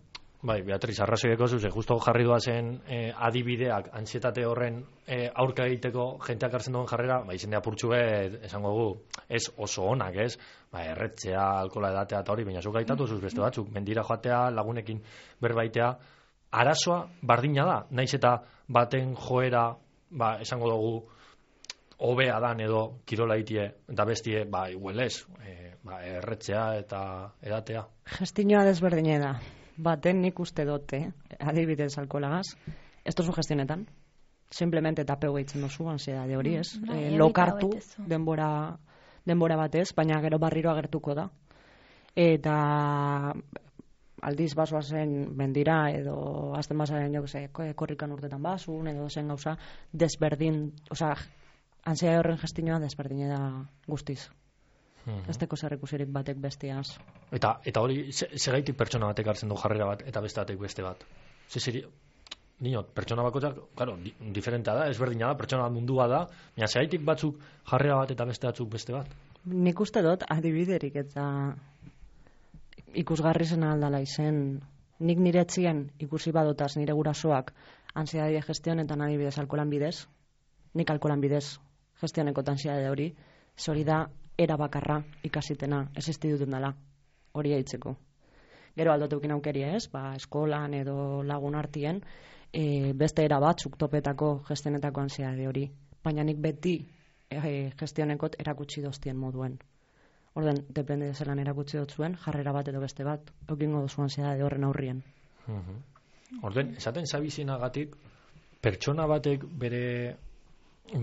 Bai, Beatriz, arrazoideko zuze, justo jarri duazen eh, adibideak ansietate horren eh, aurka egiteko jenteak hartzen duen jarrera, ba, izendea purtsu bet, esango gu, ez oso onak, ez? Ba, erretzea, alkola edatea eta hori, baina zuk gaitatu zuz beste batzuk, mendira joatea, lagunekin berbaitea, arazoa bardina da, naiz eta baten joera, ba, esango dugu, hobea dan edo kirola itie, eta bestie, ba, igual ez, eh, ba, erretzea eta edatea. Gestinoa desberdine da. Baten nik uste dote, adibidez alkolagaz, ez tozu gestionetan, simplemente tapeu gehitzen duzu ansiedade hori, ez? Mm, bai, E, evita lokartu betezu. denbora, denbora batez, baina gero barriro agertuko da. Eta aldiz basoazen mendira edo azten basaren, jo que se, korrikan urtetan basun edo zen gauza desberdin, osea, ansiedade horren gestioa desberdine da guztiz. Mhm. Ez teko zer ikusirik batek bestiaz. Eta eta hori ze- segaitik pertsona batek hartzen du jarrera bat eta beste batek beste bat. Ze seri Niot, pertsona bakoitzak, claro, di, diferentea da, ezberdina da, pertsona mundua da, baina segaitik batzuk jarrera bat eta beste batzuk beste bat. Nik uste dut adibiderik eta ikusgarri zen aldala izen. Nik nire etzien ikusi badotaz nire gurasoak ansiedade gestionetan adibidez alkolan bidez, nik alkolan bidez gestioneko ansiedade hori, hori da era bakarra ikasitena, existi duten dela, hori aitzeko. Gero aldoteukin aukeria ez, ba, eskolan edo lagun artien, e, beste era batzuk topetako gestionetako ansiedade hori. Baina nik beti e, gestionekot erakutsi doztien moduen. Orden, depende de zelan erakutsi dut zuen, jarrera bat edo beste bat, eukingo duzu ansiedade horren aurrien. Mhm. Orden, esaten zabizinagatik, pertsona batek bere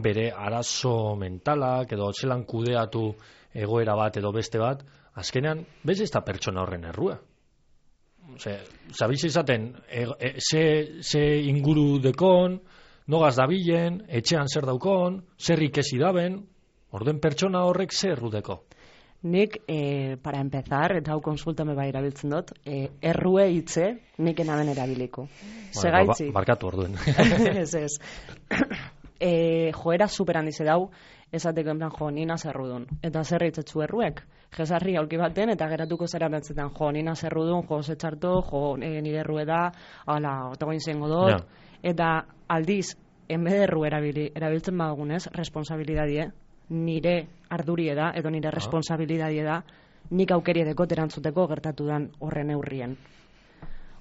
bere arazo mentalak edo zelan kudeatu egoera bat edo beste bat, azkenean, bez ez da pertsona horren errua. Ose, zabiz izaten, e, e, ze, ze inguru dekon, nogaz dabilen, etxean zer daukon, zer ikesi daben, orden pertsona horrek zer errudeko. Nik, e, para empezar, eta hau konsulta me bai erabiltzen dut, e, errue hitze nik enaben erabiliko. Segaitzi. Ba, barkatu orduen. ez ez. e, joera super handize dau, esateko en plan, jo, nina zerrudun. Eta zer hitzetzu erruek? Jesarri aulki baten, eta geratuko zera betzetan, jo, nina zerrudun, jo, zetxarto, jo, e, nire errue da, ala, otagoin zengo dut. Ja. Eta aldiz, enbede erru erabili, erabiltzen badagunez, responsabilidadie, nire ardurie da, edo nire responsabilidadie da, nik aukeri dekot erantzuteko gertatu dan horren eurrien.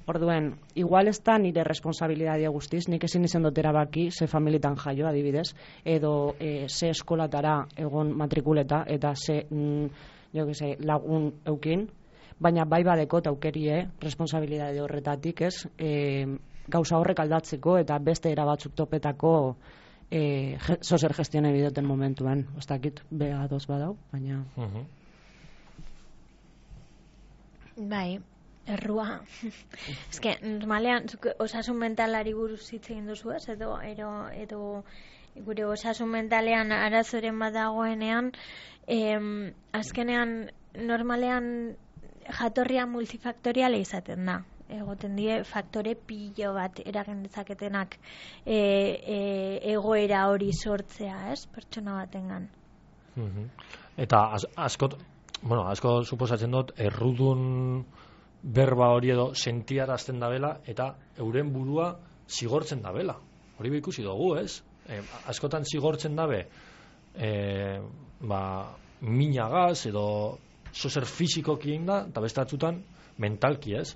Orduen, igual ez da nire responsabilidadia guztiz, nik ezin izan dut erabaki, ze familitan jaio adibidez, edo e, ze eskolatara egon matrikuleta, eta ze, mm, jo que se, lagun eukin, baina bai badekot aukerie responsabilidade horretatik, ez, e, gauza horrek aldatzeko, eta beste erabatzuk topetako e, ge, zozer gestione bidoten momentuan, ez dakit, beha doz badau, baina... Mhm. Bai, errua. Eske, normalean, zuk osasun mentalari buruz hitz egin duzu ez, edo, edo, edo gure osasun mentalean arazoren bat dagoenean, em, azkenean, normalean jatorria multifaktoriala izaten da. Egoten die faktore pilo bat eragin dezaketenak e, e, egoera hori sortzea, ez, pertsona batengan. Mhm. Eta az, askot, bueno, asko suposatzen dut, errudun berba hori edo sentiarazten dabela eta euren burua zigortzen dabela. Hori be ikusi dugu, ez? E, askotan zigortzen dabe e, ba, minagaz edo zozer fizikoki egin da, eta beste batzutan mentalki, ez?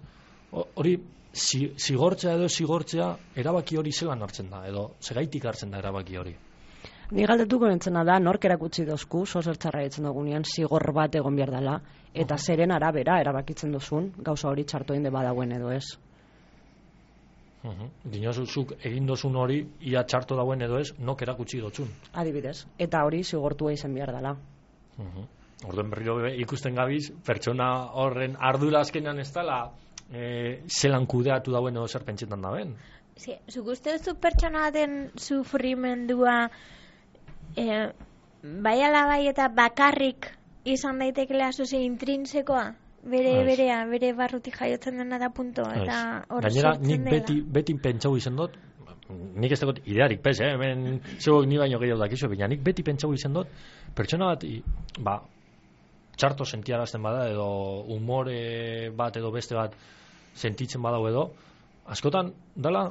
Hori zi, zigortzea edo zigortzea erabaki hori zelan hartzen da, edo segaitik hartzen da erabaki hori. Ni galdetuko nintzena da, nork erakutsi dozku, zozer txarra ditzen dugunean, zigor bat egon behar dela, eta zeren arabera erabakitzen duzun, gauza hori txarto inde badauen edo ez. Uh-huh. Dinozuzuk egin dozun hori, ia txarto dauen edo ez, nok erakutsi dotzun. Adibidez, eta hori zigortua izan behar dela. Uh-huh. Orduen berriro be, ikusten gabiz, pertsona horren ardura azkenean ez dela, e, zelan kudeatu dauen edo zer pentsetan daben. Sí, zuk uste duzu pertsona baten sufrimendua e, bai ala bai eta bakarrik izan daitekela zuze intrinsekoa? Bere, Ez. berea, bere barrutik jaiotzen dena da punto, eta hor Gainera, sortzen nik dela. beti, beti pentsau izan dut, nik ez dagoet idearik pez, eh? Hemen zeuak ni baino gehiago dakizu, baina nik beti pentsau izan dut, pertsona bat, i, ba, txarto sentiarazten bada, edo umore bat edo beste bat sentitzen badau edo, askotan dala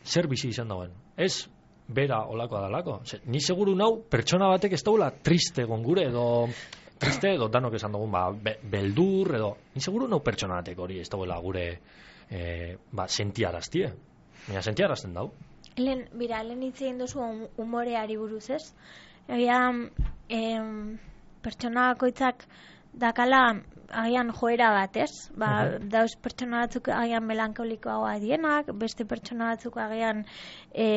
zer bizi izan dauen. Ez bera olakoa dalako. Ze, ni seguru nau pertsona batek ez daula triste egon gure edo triste edo danok esan dugun ba, be, beldur edo ni seguru nau pertsona batek hori ez daula gure e, ba, sentiaraztie. Baina sentiarazten dau. Lehen, bira, lehen hitz egin duzu um- umoreari buruz, ez? Egia, em, pertsona bakoitzak dakala agian joera bat, ez? Ba, uh-huh. Dauz pertsona batzuk agian melankolikoagoa dienak, beste pertsona batzuk agian e,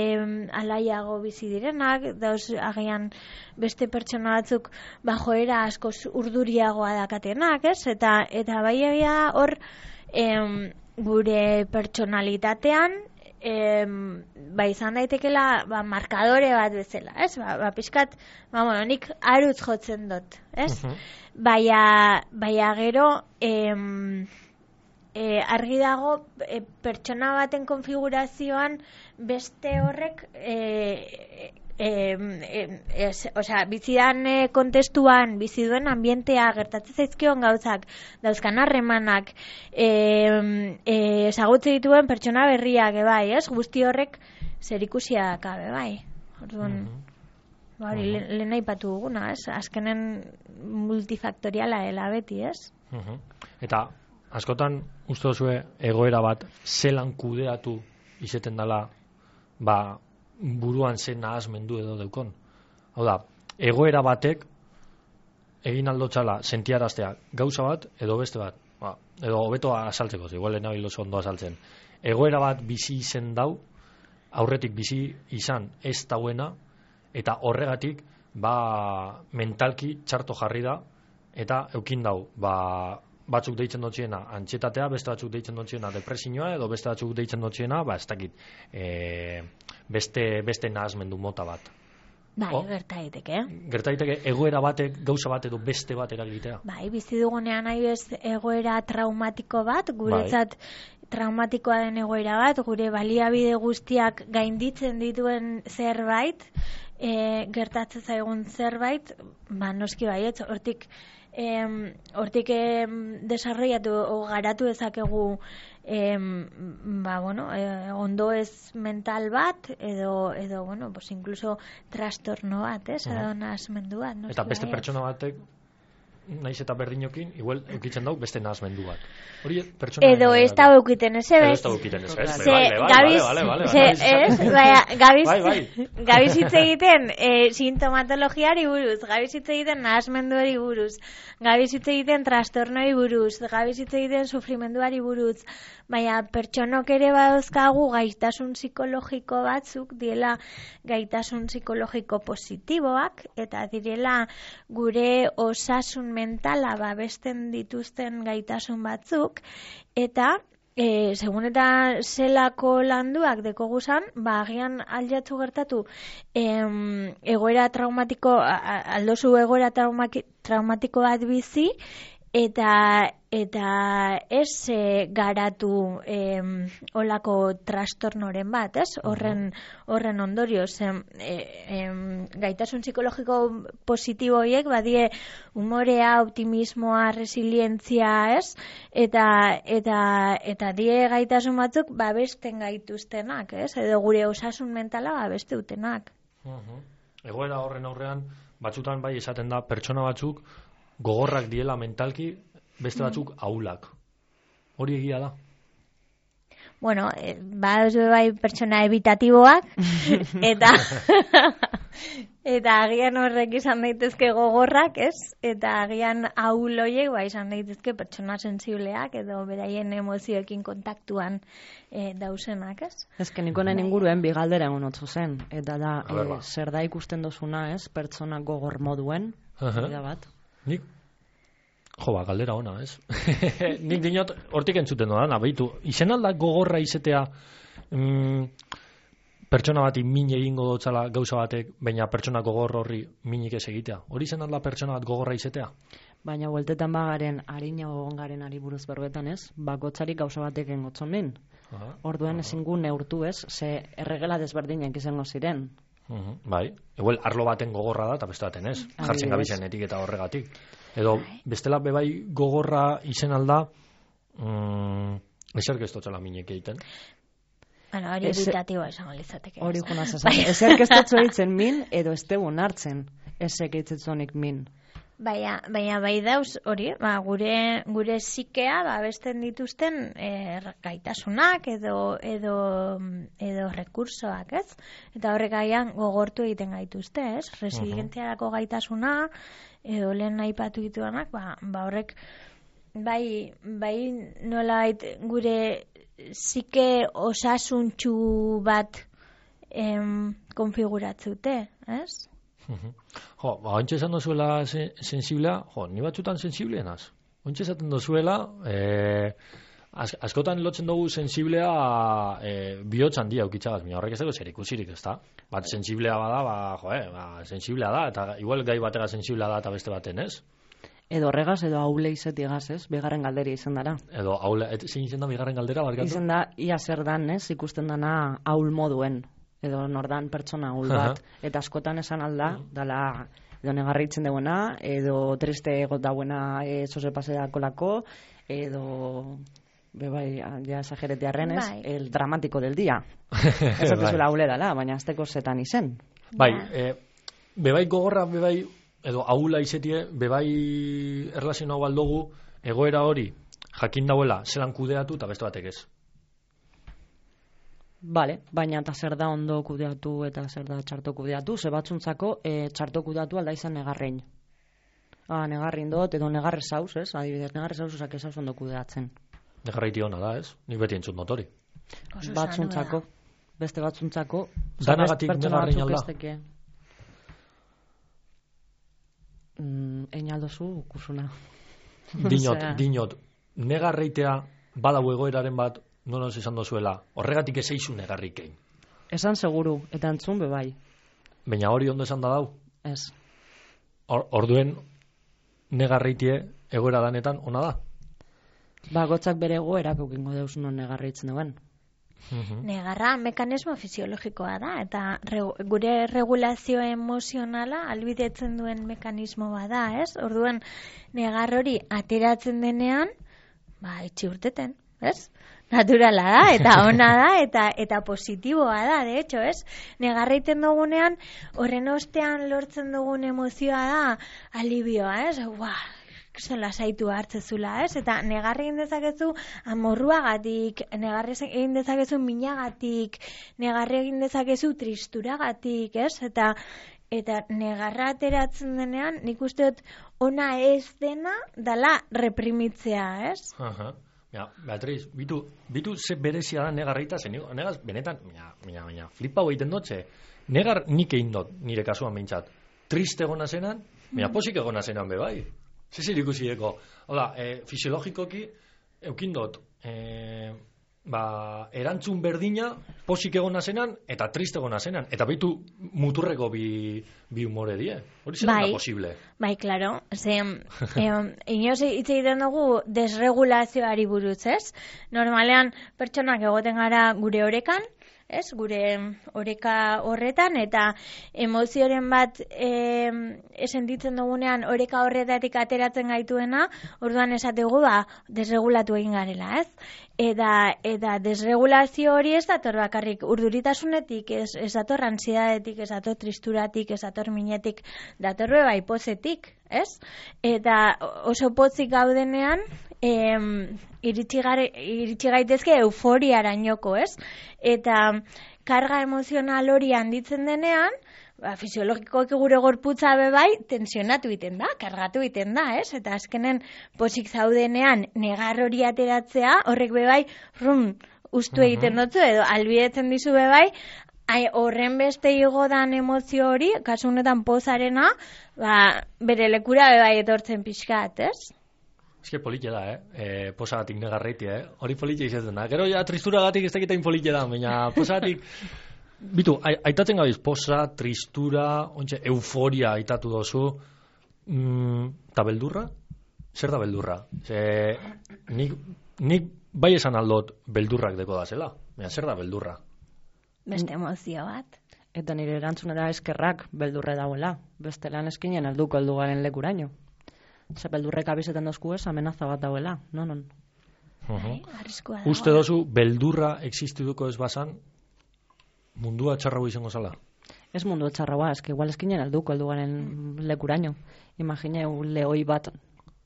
alaiago bizi direnak, dauz agian beste pertsona batzuk ba, joera askoz urduriagoa dakatenak, ez? Eta, eta bai egia hor em, gure pertsonalitatean em, ba, izan daitekela ba, markadore bat bezala, ez? Ba, ba pixkat, ba, bueno, nik arutz jotzen dut, ez? Uh-huh. Baina, baina gero em, e, argi dago e, pertsona baten konfigurazioan beste horrek e, e, e, e, osea, bizidan e, kontestuan bizi duen ambientea gertatzen zaizkion gauzak dauzkan harremanak e, e, ezagutze dituen pertsona berriak bai, ez? Guzti horrek zerikusia dakabe bai. Orduan mm-hmm. Hori, uh-huh. lehen nahi patu duguna, ez? Azkenen multifaktoriala dela beti, ez? Uh-huh. Eta, askotan, uste duzue egoera bat zelan kudeatu izeten dela ba, buruan zen nahazmendu edo deukon. Hau da, egoera batek egin aldotxala sentiaraztea gauza bat edo beste bat. Ba, edo hobeto azaltzeko, igual lehen nabil oso ondo azaltzen. Egoera bat bizi izen dau, aurretik bizi izan ez dauena, eta horregatik ba, mentalki txarto jarri da eta eukin dau ba, batzuk deitzen dutxiena antxetatea, beste batzuk deitzen dutxiena depresioa edo beste batzuk deitzen dutxiena ba, ez dakit e, beste, beste nahazmendu mota bat. Bai, o, gerta daiteke. Gerta daiteke egoera batek gauza bat edo beste bat eragitea. Bai, bizi dugunean nahi bez egoera traumatiko bat, guretzat bai. Traumatikoa den egoera bat, gure baliabide guztiak gainditzen dituen zerbait, e, gertatzen zaigun zerbait, ba, noski baietz, hortik em, hortik em, desarrollatu o garatu ezakegu em, ba, bueno, e, ondo ez mental bat, edo, edo bueno, pues incluso trastorno bat, ez, uh-huh. edo nahazmendu bat. Noski eta beste baietz. Pertsona batek naiz eta berdinokin, igual eukitzen dau beste nahazmendu bat. Hori pertsona edo ez da eukiten ez, ez? Edo ez da eukiten ez, ez? Gabiz, gabiz, gabiz hitz egiten e, sintomatologiari buruz, gabiz hitz egiten nahazmenduari buruz, gabiz hitz egiten trastornoi buruz, gabiz hitz egiten sufrimenduari buruz, baina pertsonok ere badauzkagu gaitasun psikologiko batzuk, diela gaitasun psikologiko positiboak, eta direla gure osasun mentala babesten dituzten gaitasun batzuk, eta e, segun eta zelako landuak dekoguzan, ba, agian aldatu gertatu em, egoera traumatiko, aldozu egoera traumaki, traumatiko bat bizi, eta eta ez e, garatu e, olako trastornoren bat, ez? Horren horren ondorioz e, e, gaitasun psikologiko positibo horiek badie umorea, optimismoa, resilientzia, ez? Eta eta eta die gaitasun batzuk babesten gaituztenak, ez? Edo gure osasun mentala babeste dutenak. Uh-huh. Egoera horren aurrean batzutan bai esaten da pertsona batzuk gogorrak diela mentalki, beste batzuk ahulak. Hori egia da? Bueno, eh, baduz bai pertsona evitatiboak, eta eta agian horrek izan daitezke gogorrak, ez? Eta agian ahul horiek bai izan daitezke pertsona sensibleak, edo beraien emozioekin kontaktuan e, dausenak, ez? Ez que niko nahi inguruen bigaldera egon otzu zen, eta da, e, zer da ikusten dozuna, ez? Pertsona gogor moduen, uh-huh. bat. Nik, jo, ba, galdera ona, ez? Nik dinot, hortik entzuten doan, abeitu, izen alda gogorra izetea mm, pertsona bati min egingo dotzala gauza batek, baina pertsona gogor horri minik ez egitea. Hori izen alda pertsona bat gogorra izetea? Baina hueltetan bagaren, harina gogongaren ari buruz berbetan, ez? Bakotzarik gauza batek engotzon min. Uh-huh. Orduan uh-huh. ezingu neurtu, ez? Ze erregela desberdinak izango ziren. Uh-huh. Bai, eguel arlo baten gogorra da eta beste baten ez, jartzen gabizen etiketa horregatik. Edo bestela bebai gogorra izen alda mm, eserk ez dutxala minek egiten. Bueno, hori evitatiboa esango litzateke. Hori junaz esan. Eserk ez dutxo egiten min edo ez tegun hartzen esek egitzetzonik min. Baina, baina bai dauz hori, ba, gure gure psikea ba besten dituzten e, gaitasunak edo edo edo rekursoak, ez? Eta horrek gaian gogortu egiten gaituzte, ez? Resilientziarako gaitasuna, edo lehen aipatu dituanak, ba, ba horrek bai, bai nolabait gure zike osasuntxu bat em, konfiguratzute, ez? Jo, ba, ointxe esan dozuela se, sensiblea, jo, ni batzutan sensibleenaz. Ointxe esaten dozuela, eh, az, askotan lotzen dugu sensiblea eh, bihotz handia ukitzagaz, mina horrek ez dago zer ikusirik, ez da? Bat sensiblea bada, ba, jo, eh, ba, sensiblea da, eta igual gai batera sensiblea da eta beste baten, ez? Edo horregaz, edo haule izetigaz, ez? Bigarren galderi izan dara. Edo haule, et, zein izan da bigarren galdera, barkatu? Izan da, ia zer dan, ez? Ikusten dana haul moduen, edo nordan pertsona haul bat. Eta askotan esan alda, dala, edo negarritzen duena, edo triste egot dauena e, zoze pasea kolako, edo, bebai, ja esageretearren, ez? Bai. El dramático del día. Ez atezuela haule dala, baina azteko zetan izen. Bai, eh, bebai gogorra, bebai, edo aula izetie, bebai erlazio hau aldugu, egoera hori, jakin dauela, zelan kudeatu eta beste batek ez. Bale, baina eta zer da ondo kudeatu eta zer da txarto kudeatu, ze batzuntzako e, txarto kudeatu alda izan negarrein. Ah, negarrin dut, edo negarre zauz, ez? Adibidez, negarre zauz usak ez ondo kudeatzen. Negarraiti hona da, ez? Nik beti entzut motori. Batzuntzako, beste batzuntzako. Danagatik negarrein alda. Mm, Einaldozu kursuna. Dinot, Osea, dinot, negarreitea badau egoeraren bat, nonoz esan dozuela, horregatik ez eizu negarrikein. Esan seguru, eta entzun bebai. Baina hori ondo esan da dau. Ez. Or, orduen negarreitie egoera danetan ona da. Ba, gotzak bere egoerak eukingo deus non negarreitzen duen. Negarra mekanismo fisiologikoa da, eta regu, gure regulazio emozionala albidetzen duen mekanismo bada, ez? Orduan, negar hori ateratzen denean, ba, itxi urteten, ez? Naturala da, eta ona da, eta eta positiboa da, de hecho, ez? Negarreiten dugunean, horren ostean lortzen dugun emozioa da, alibioa, ez? Ua, zela saitu hartzezula, ez? Eta negarri egin dezakezu amorruagatik, negarri egin dezakezu minagatik, negarri egin dezakezu tristuragatik, ez? Eta eta negarra ateratzen denean, nik uste dut ona ez dena dala reprimitzea, ez? Aha. Ja, Beatriz, bitu, bitu ze berezia da negarreita, zen, negaz, benetan, mina, mina, mina, flipa egiten dutze, negar nik egin dut, nire kasuan behintzat, triste egona zenan, mina, posik egona zenan be bai. Zezir ikusideko, hola, e, fisiologikoki, eukindot, e, ba, erantzun berdina, posik egona zenan, eta triste egona zenan, eta bitu muturreko bi, bi humore die. Hori zer Bai. da posible? Bai, klaro, ze, eh, inoz hitz egiten dugu desregulazioari buruz, ez? Normalean, pertsonak egoten gara gure orekan, ez, gure oreka horretan, eta emozioren bat e, esentitzen dugunean oreka horretatik ateratzen gaituena, orduan esategu ba, desregulatu egin garela, ez? Eta, eta desregulazio hori ez dator bakarrik urduritasunetik, ez, ez dator ansidadetik, ez dator tristuratik, ez dator minetik, dator beba hipozetik, ez? Eta oso potzik gaudenean, em, iritsi, gare, iritsi gaitezke euforiarainoko, ez? Eta karga emozional hori handitzen denean, ba, fisiologikoki gure gorputza bebai tensionatu egiten da, kargatu egiten da, ez? Eta azkenen posik zaudenean negar hori ateratzea, horrek bebai rum ustu egiten dutzu, edo albidetzen dizu bebai, ai, horren beste igodan emozio hori, kasu honetan pozarena, ba, bere lekura bebai etortzen pixkat, ez? Eske politxe da, eh? E, posagatik negarreiti, eh? Hori politxe izaten da. Gero ja tristuragatik ez dakitein politxe da, baina posagatik... Bitu, aitatzen gabiz, posa, tristura, ontxe, euforia aitatu dozu, mm, eta beldurra? Zer da beldurra? Ze, nik, nik bai esan aldot beldurrak deko da zela, baina zer da beldurra? Beste emozio bat. Eta nire erantzunera eskerrak beldurre dauela. Beste lan eskinen alduko eldugaren lekuraino. Ze beldurrek abizetan dozku ez, amenaza bat dauela. Non, non. Bai, arriskua dago. Uste dozu beldurra existiduko ez basan, mundua txarrago izango zala? Ez mundu txarragoa, eski igual eskinen alduko eldugaren lekuraino. Imagineu lehoi bat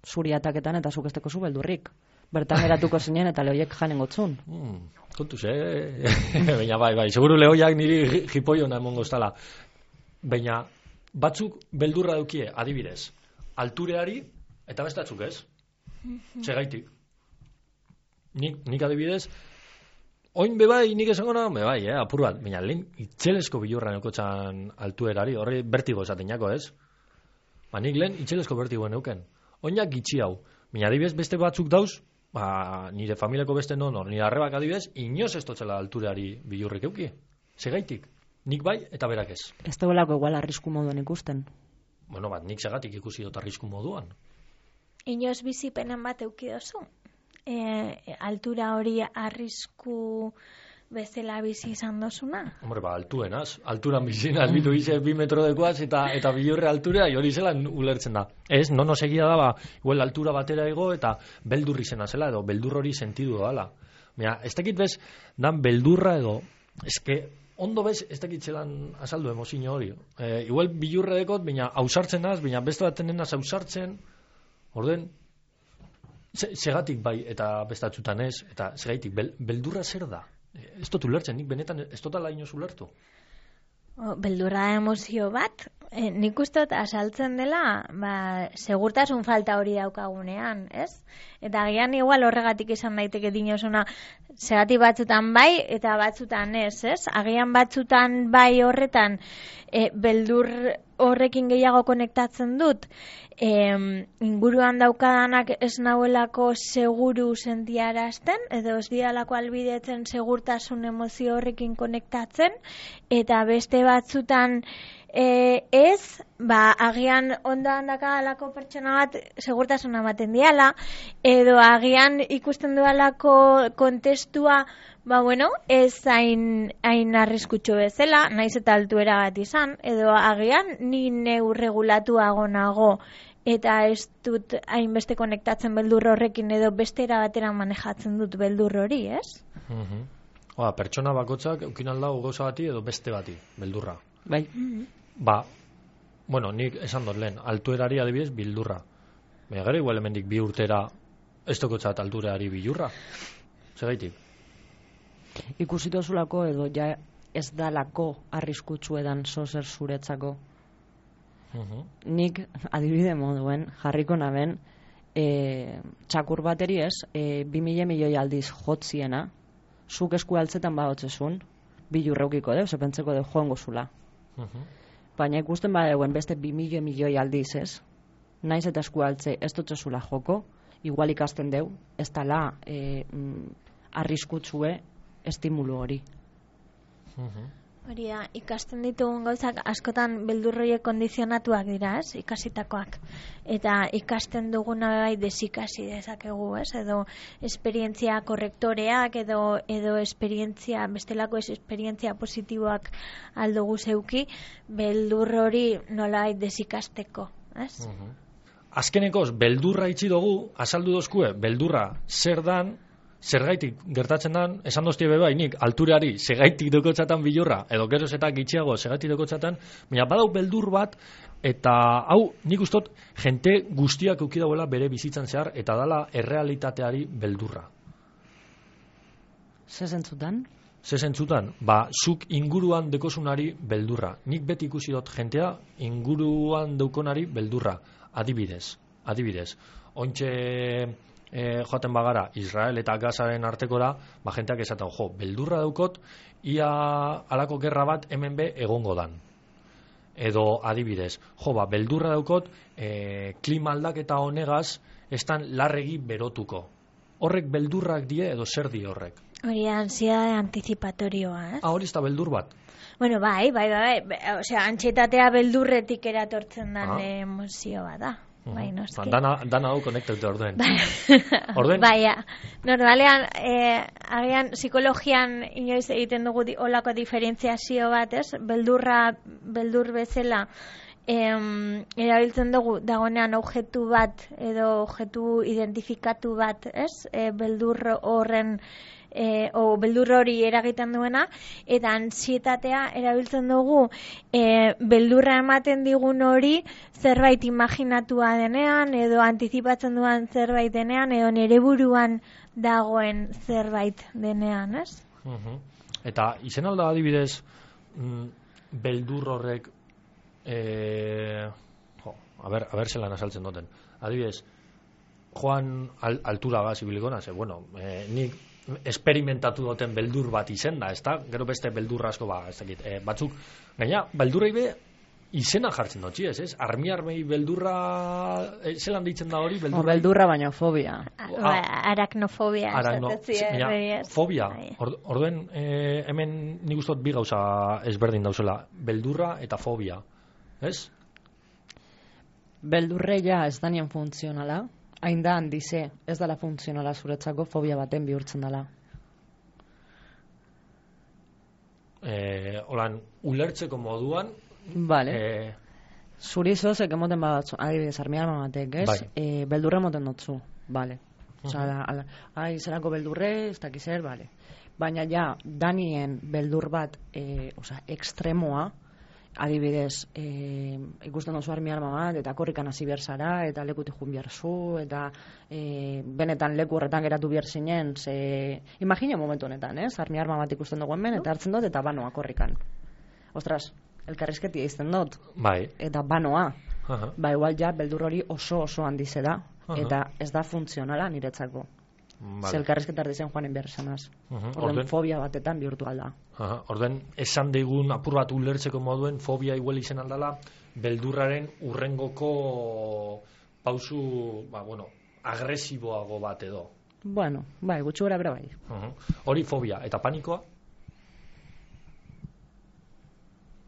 zuri ataketan eta zuk esteko zu beldurrik. Bertan eratuko zinen eta lehoiek janen gotzun. Mm, kontuz, eh? Baina bai, bai, seguru lehoiak niri jipoiona emongo estala. Baina batzuk beldurra daukie, adibidez. altureari, eta bestatzuk ez. Segaitik. Nik, nik adibidez, oin bebai, nik esango na, bebai, eh, apur bat, baina lehen itxelesko bilurra neukotxan altuerari, horri bertigo esaten jako, ez? Ba, nik lehen itxelesko bertigo neuken. Oinak gitxi hau. Baina adibidez beste batzuk dauz, ba, nire familiako beste non, nire arrebak adibidez, inoz ez totzela altureari bilurrik euki. Segaitik. Nik bai, eta berak ez. Ez dagoelako igual arrisku moduan ikusten. Bueno, bat, nik segatik ikusi dut arrisku moduan. Inoz bizipenen bat euki dozu? E, altura hori arrisku bezala bizi izan dozuna? Hombre, ba, altuenaz. Alturan bizinaz, bitu bize bi metro dekoaz eta, eta bilurre alturea, hori zelan ulertzen da. Ez, no nos egia da, ba, igual altura batera ego eta beldurri zena zela, edo beldur hori sentidu dala. Mira, ez dakit bez, dan beldurra edo, eske, ondo bez, ez dakit zelan azaldu emozio hori. E, igual bilurre dekot, baina hausartzen naz, baina beste baten naz hausartzen, orden, segatik bai eta bestatzutan ez, eta segaitik, bel, beldurra zer da? Ez dut ulertzen, nik benetan ez dutala inoz ulertu. Beldurra emozio bat, e, nik ustot asaltzen dela, ba, segurtasun falta hori daukagunean, ez? Eta agian igual horregatik izan daiteke dinosuna, segati batzutan bai eta batzutan ez, ez? Agian batzutan bai horretan, e, beldur horrekin gehiago konektatzen dut, e, inguruan daukadanak ez nauelako seguru sentiarazten, edo ez dialako albidetzen segurtasun emozio horrekin konektatzen, eta beste batzutan e, ez, ba, agian ondoan dakadalako pertsona bat segurtasuna ematen diala, edo agian ikusten dualako kontestua, ba, bueno, ez hain, hain arriskutxo bezala, naiz eta altuera bat izan, edo agian ni neu regulatuago nago, eta ez dut hainbeste konektatzen beldur horrekin, edo bestera batera manejatzen dut beldur hori, ez? Mm-hmm. Oa, pertsona bakotzak eukin aldau gauza bati edo beste bati, beldurra. Bai. Mm-hmm. Ba, bueno, nik esan dut lehen, altuerari adibidez bildurra. Baina gero igual hemendik bi urtera ez dokotzat altuerari bilurra. Segaitik? Ikusitozulako edo ja ez dalako arriskutsu edan zozer zuretzako. Uh-huh. Nik adibide moduen jarriko naben e, txakur bateri ez, e, bi mila milioi aldiz jotziena, zuk esku altzetan badotzezun, bilurreukiko deu, zepentzeko deu joango zula. Uh-huh. Baina ikusten badeuen beste bi milioi milioi aldiz ez, naiz eta esku altze ez dotzezula joko, igual ikasten deu, ez dala e, mm, arriskutsue estimulu hori. Uh-huh. Hori da, ikasten ditugun gauzak askotan beldurroiek kondizionatuak dira, ez, ikasitakoak. Eta ikasten duguna bai desikasi dezakegu, ez, edo esperientzia korrektoreak, edo edo esperientzia, bestelako ez esperientzia positiboak aldugu zeuki, beldur hori nolabait desikasteko, ez? Uh-huh. Azkenekoz, beldurra itxi dugu, azaldu dozkue, beldurra zer dan, zergaitik gertatzen dan, esan doztie beba, nik altureari segaitik dokotzatan bilurra, edo geroz eta gitxiago segaitik dokotzatan, baina badau beldur bat, eta hau nik ustot jente guztiak euki dauela bere bizitzan zehar, eta dala errealitateari beldurra. Ze zentzutan? Ze zentzutan? Ba, zuk inguruan dekosunari beldurra. Nik beti ikusi dut jentea inguruan daukonari beldurra. Adibidez, adibidez. Ontxe E, joaten bagara Israel eta Gazaren artekora, ba jenteak esaten, jo, beldurra daukot ia alako gerra bat hemen be egongo dan. Edo adibidez, jo, ba, beldurra daukot e, klima aldaketa honegaz estan larregi berotuko. Horrek beldurrak die edo zer di horrek? Hori ansiedade anticipatorioa, ez? Ah, hori ez da beldur bat. Bueno, bai, bai, bai, bai. Osea, antxetatea beldurretik eratortzen den ah. emozio bat da. Bai, noski. Dana, dana hau konektatu orduen. Bai. Orden? Baina, normalean, eh, agian psikologian inoiz egiten dugu di, olako diferentziazio bat, ez? Beldurra, beldur bezala, em, erabiltzen dugu dagonean objektu bat, edo objektu identifikatu bat, ez? E, beldur horren, E, o beldur hori eragiten duena, eta antsietatea erabiltzen dugu e, beldurra ematen digun hori zerbait imaginatua denean, edo antizipatzen duan zerbait denean, edo nere buruan dagoen zerbait denean, ez? Uh-huh. Eta izen alda adibidez mm, beldur horrek e, jo, a ber, a ber zelan asaltzen duten. Adibidez, joan al, altura gaz ibiliko ze, bueno, eh, nik esperimentatu duten beldur bat izen da, ezta? Gero beste beldur asko ba, ez dakit, eh, batzuk, gaina, beldurrei be izena jartzen dut, ez, ez? Armi armei beldurra, eh, zelan ditzen da hori? Beldurra, beldurra baina fobia. Ah, aracnofobia. Aracno, ja, fobia. Or, orduen, eh, hemen nik ustot bi gauza ezberdin dauzela, beldurra eta fobia, ez? Beldurre ja ez danien funtzionala, hain da handize, ez dala funtzionala zuretzako fobia baten bihurtzen dela. Eh, holan, ulertzeko moduan, vale. Eh, zuri zozek emoten bat, adibidez, armi arma batek, ez? Bai. E, beldurre emoten dutzu, vale. Osa, uh-huh. ai, zerako beldurre, ez dakizer, vale. Baina ja, danien beldur bat, e, osa, ekstremoa, adibidez, e, ikusten duzu armi arma bat, eta korrikan hasi behar zara, eta lekutik jun behar zu, eta e, benetan leku horretan geratu behar zinen, ze, imagina momentu honetan, ez? Armi arma bat ikusten dugu hemen, eta hartzen dut, eta banoa korrikan. Ostras, elkarrizketia izten dut. Bai. Eta banoa. Uh-huh. Ba, igual ja, beldur hori oso oso handize da, uh-huh. eta ez da funtzionala niretzako. Vale. Ze elkarrizketar dizen joanen behar esanaz. Uh-huh. Orden, Orden fobia batetan bihurtu alda. Uh-huh. Orden, esan digun apur bat ulertzeko moduen fobia igual izen aldala, beldurraren urrengoko pausu, ba, bueno, agresiboago bat edo. Bueno, bai, gutxu gara bera bai. Uh-huh. Hori fobia, eta panikoa?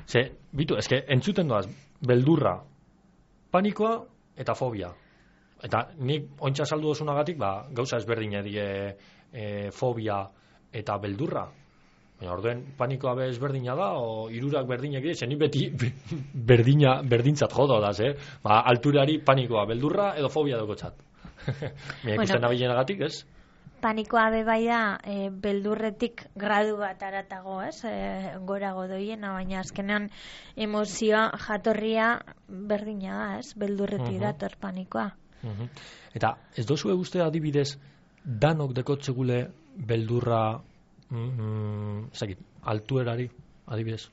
Ze, bitu, eske, entzuten doaz, beldurra, panikoa eta fobia. Eta nik ointxa saldu osunagatik, ba, gauza ezberdina die e, fobia eta beldurra. Baina orduen panikoa be ezberdina da, o hirurak berdinak dira, zen beti berdina, berdintzat jodo da, ze? Ba, alturari panikoa, beldurra edo fobia daukotxat. Baina ikusten bueno, nabilenagatik, ez? Panikoa be bai da, e, beldurretik gradu bat aratago, ez? E, gorago doiena, baina azkenean emozioa jatorria berdina da, ez? Beldurretik uh-huh. dator panikoa. Uh-huh. Eta ez dozue uste adibidez danok dekotzegule beldurra mm, zakit, altuerari adibidez?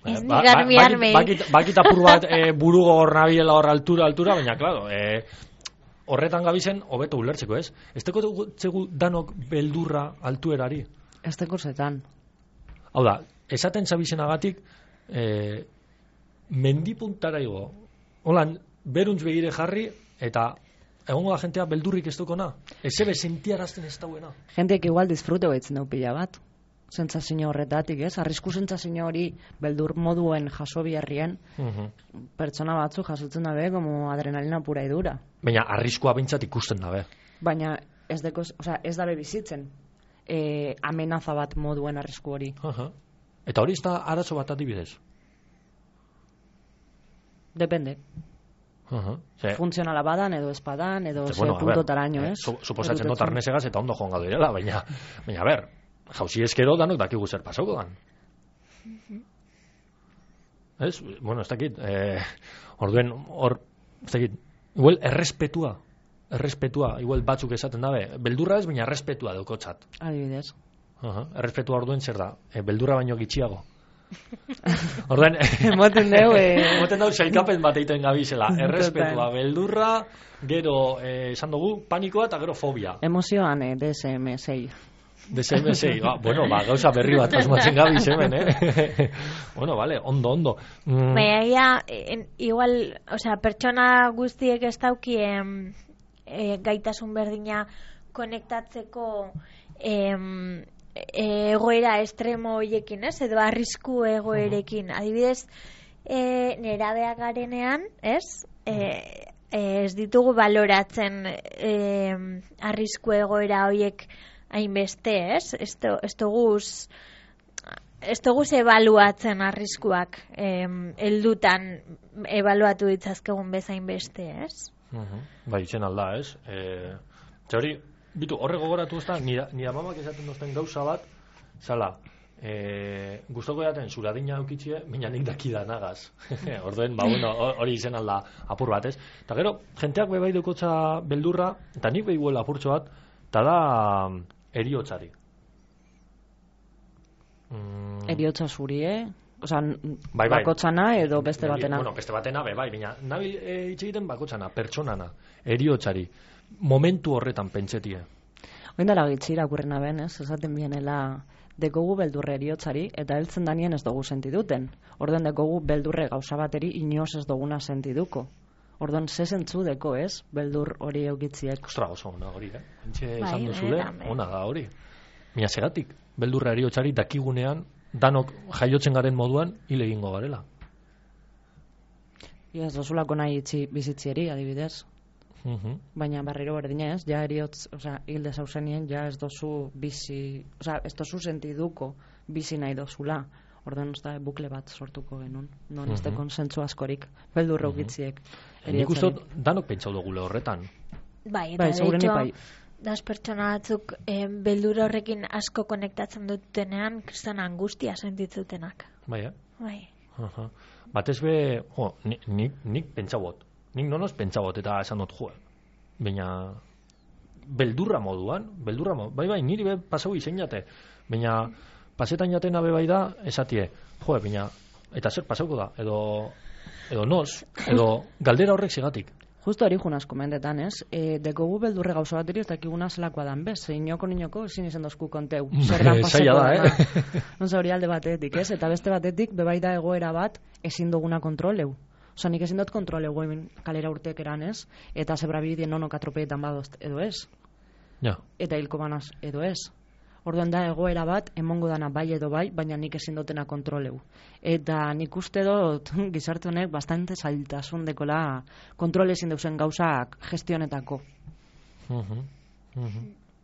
Ez ba, nik armi ba, armei. Bakit, bakit apur bat e, burugo hor nabiela hor altura, altura, baina klaro, e, horretan gabizen hobeto ulertzeko, ez? Ez dekotzegu danok beldurra altuerari? Ez teko zetan. Hau da, esaten zabizenagatik e, mendipuntara igo. Holan, beruntz begire jarri, eta egongo da jentea beldurrik ez dukona. Ez ebe sentiarazten ez dauena. Jenteek igual disfrute baitzen dau pila bat. Sentsazio horretatik, ez? Arrisku sentsazio hori beldur moduen jaso biharrien, uh-huh. pertsona batzu jasotzen dabe, como adrenalina pura idura. Baina arriskua bintzat ikusten dabe. Baina ez deko, osea, ez dabe bizitzen. E, amenaza bat moduen arrisku hori. Uh-huh. Eta hori ez da arazo bat adibidez? Depende. Uh-huh. Se, funtzionala badan edo espadan edo ze bueno, puntotaraino, eh, ez? Su, suposatzen dut arnesegaz eta ondo joango direla, baina baina a ber, jauzi eskero danok dakigu zer pasauko dan. Uh-huh. Ez? Bueno, ez dakit, eh, orduen hor, ez dakit, igual errespetua, errespetua, igual batzuk esaten dabe, beldurra ez, baina errespetua daukotzat. Adibidez. Uh-huh. Errespetua orduen zer da, e, beldurra baino gitxiago. Orduan, emoten deu, eh, emoten deu sailkapen bat egiten gabizela. Errespetua, beldurra, gero, eh, esan dugu, panikoa eta gero fobia. Emozioan, eh, D S M sei. D S M sei, ba, bueno, ba, gauza berri bat asmatzen gabiz hemen, eh? Bueno, vale, ondo, ondo. Mm. Baina, en, igual, o sea, pertsona guztiek ez dauki em, e, gaitasun berdina konektatzeko em, egoera estremo hoiekin, ez? Edo arrisku egoerekin. Adibidez, e, nerabeak garenean, ez? E, ez ditugu baloratzen e, arrisku egoera hoiek hainbeste, ez? Ez duguz ez duguz ebaluatzen arriskuak heldutan ebaluatu ditzazkegun bezain beste, ez? Uh-huh. Bai, itzen alda, ez? E, hori, bitu, horre gogoratu ez da, nire, nire mamak esaten dozten gauza bat, zala, e, gustoko jaten zuradina eukitzie, mina nik dakida nagaz. Orduen, ba, bueno, hori izen alda apur bat, ez? Eta gero, jenteak bebai dukotza beldurra, eta nik behibuela apurtxo bat, eta da eriotzari. Mm. Eriotza zuri, eh? Osa, bai, bai. bakotzana edo beste batena. Bueno, beste batena, be, bai, baina nabil e, hitz egiten bakotzana, pertsonana, eriotzari, momentu horretan pentsetie. Oin dara gitzi irakurrena ben, ez? Esaten bienela dekogu beldurre eriotzari, eta heltzen danien ez dugu sentiduten. Orduan dekogu beldurre gauza bateri inoz ez duguna sentiduko. Orduan, ze zentzu deko, ez? Beldur hori eukitziek. Ostra, oso ona hori, eh? Entxe Bai, esan duzule, benetan, ona da hori. Baina segatik, beldurra eriotzari dakigunean, danok jaiotzen garen moduan hil egingo garela. Ia ez dozulako nahi itzi bizitzieri, adibidez. Uh-huh. Baina barriro berdina ez, ja eriotz, oza, hilde zauzenien, ja ez dozu bizi, oza, ez dozu sentiduko bizi nahi dozula. Orduan ez da bukle bat sortuko genuen. Non ez Uh-huh. dekon zentzu askorik, beldurra Uh-huh. ukitziek. Nik uste dut, danok pentsau dugule horretan. Bai, eta Bai, de segurenik hecho, bai. das pertsona batzuk eh, beldur horrekin asko konektatzen dutenean, kriston angustia sentitzutenak. Bai, eh? Bai. Uh-huh. Batez be, jo, nik, nik, nik pentsabot. Nik nonoz pentsabot eta esan dut, jo, baina beldurra moduan, beldurra moduan, bai, bai, niri be pasau izen jate, baina pasetan jatena be bai da, esatie, jo, baina, eta zer pasauko da, edo, edo noz, edo galdera horrek zigatik. Justo hori junaz komendetan, ez? E, dekogu beldurre gauza bateri ez dakiguna zelakoa dan, bez? Inoko niñoko ezin izan dozku konteu. Zer dan Zaila pasako da, dana. eh? Onza hori alde batetik, ez? Eta beste batetik, bebai da egoera bat ezin duguna kontroleu. Osa, nik ezin dut kontroleu hemen kalera urteek eran, ez? Eta zebrabidien nonok atropeetan badozt, edo ez? Ja. Eta hilko banaz, edo ez? Orduan da egoera bat, emongo dana bai edo bai, baina nik ezin dutena kontroleu. Eta nik uste dut gizarte honek bastante zailtasun dekola kontrol ezin deusen gauzak gestionetako. Uh-huh. Uh-huh.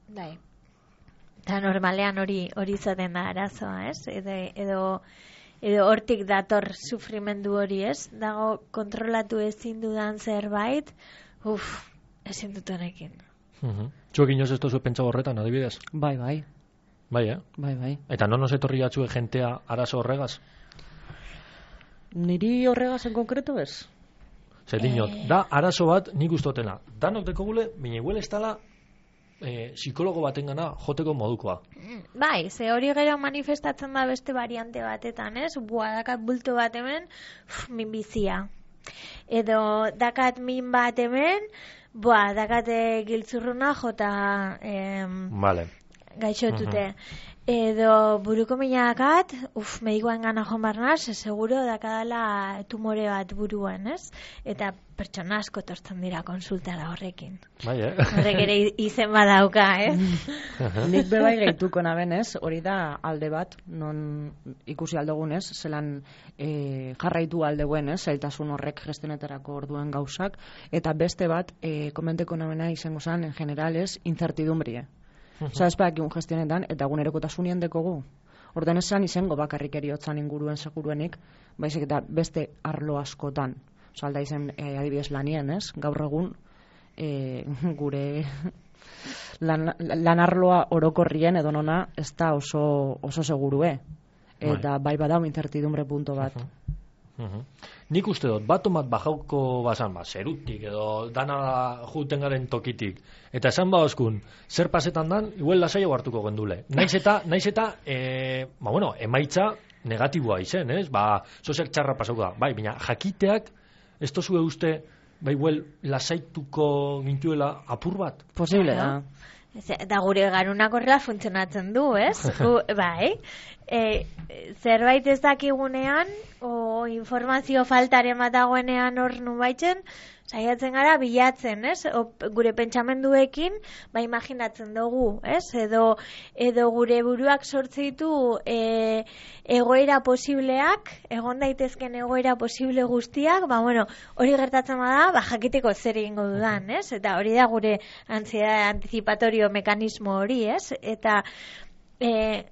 Bai. Eta normalean hori hori izaten da arazoa, ez? Edo, edo, edo hortik dator sufrimendu hori, ez? Dago kontrolatu ezin dudan zerbait, uff, ezin dut honekin. Uh-huh. Zuek inoz ez tozu pentsa horretan, adibidez? Bai, bai, Bai, eh? bai, bai. Eta non nos etorri jatzue jentea arazo horregaz? Niri horregaz en konkreto ez? Zer dinot, da arazo bat nik ustotena. Danok dekogule, baina igual ez dala eh, psikologo batengana joteko modukoa. Bai, ze hori gero manifestatzen da beste variante batetan, ez? Bua, dakat bulto bat hemen, uf, min bizia. Edo dakat min bat hemen, bua, dakat eh, giltzurruna jota em, Vale. gaixotute. Edo buruko minakat, uf, medikoan gana joan barnaz, seguro dakadala tumore bat buruan, ez? Eta pertsona asko tortzen dira konsultara horrekin. Bai, eh? Horrek ere izen badauka, ez? Nik bebai gehituko naben ez, hori da alde bat, non ikusi aldogunez, zelan e, jarraitu aldeuen ez, zailtasun horrek gestionetarako orduen gauzak, eta beste bat, e, komenteko nabena izango zen, en general ez, incertidumbrie. Osa, ez bakiun gestionetan, eta gunerekotasunien dekogu. Ordan esan izango bakarrik eriotzan inguruen seguruenik, baizik eta beste arlo askotan. Osa, alda izen e, adibidez lanien, ez? Gaur egun e, gure lan, lan arloa orokorrien edo nona ez da oso, oso segurue. Eta bai badau incertidumbre punto bat. Uh-huh. Nik uste dut, bat tomat bajauko bazan, ba, zerutik edo dana juten garen tokitik. Eta esan ba oskun, zer pasetan dan, igual lasaio hartuko gendule. Naiz eta, naiz eta, e, ba, bueno, emaitza negatiboa izen, ez? Ba, zozer txarra pasauko da. Bai, baina jakiteak, ez tozue uste, ba, igual lasaituko gintuela apur bat? Posible da. Eta gure garunak horrela funtzionatzen du, ez? Gu, bai. E, zerbait ez dakigunean, o informazio faltaren bat dagoenean hor nubaitzen, saiatzen gara bilatzen, ez? O, gure pentsamenduekin, ba imaginatzen dugu, ez? Edo, edo gure buruak sortze ditu e, egoera posibleak, egon daitezken egoera posible guztiak, ba bueno, hori gertatzen bada, ba jakiteko zer egingo dudan, ez? Eta hori da gure ansiedade anticipatorio mekanismo hori, ez? Eta e,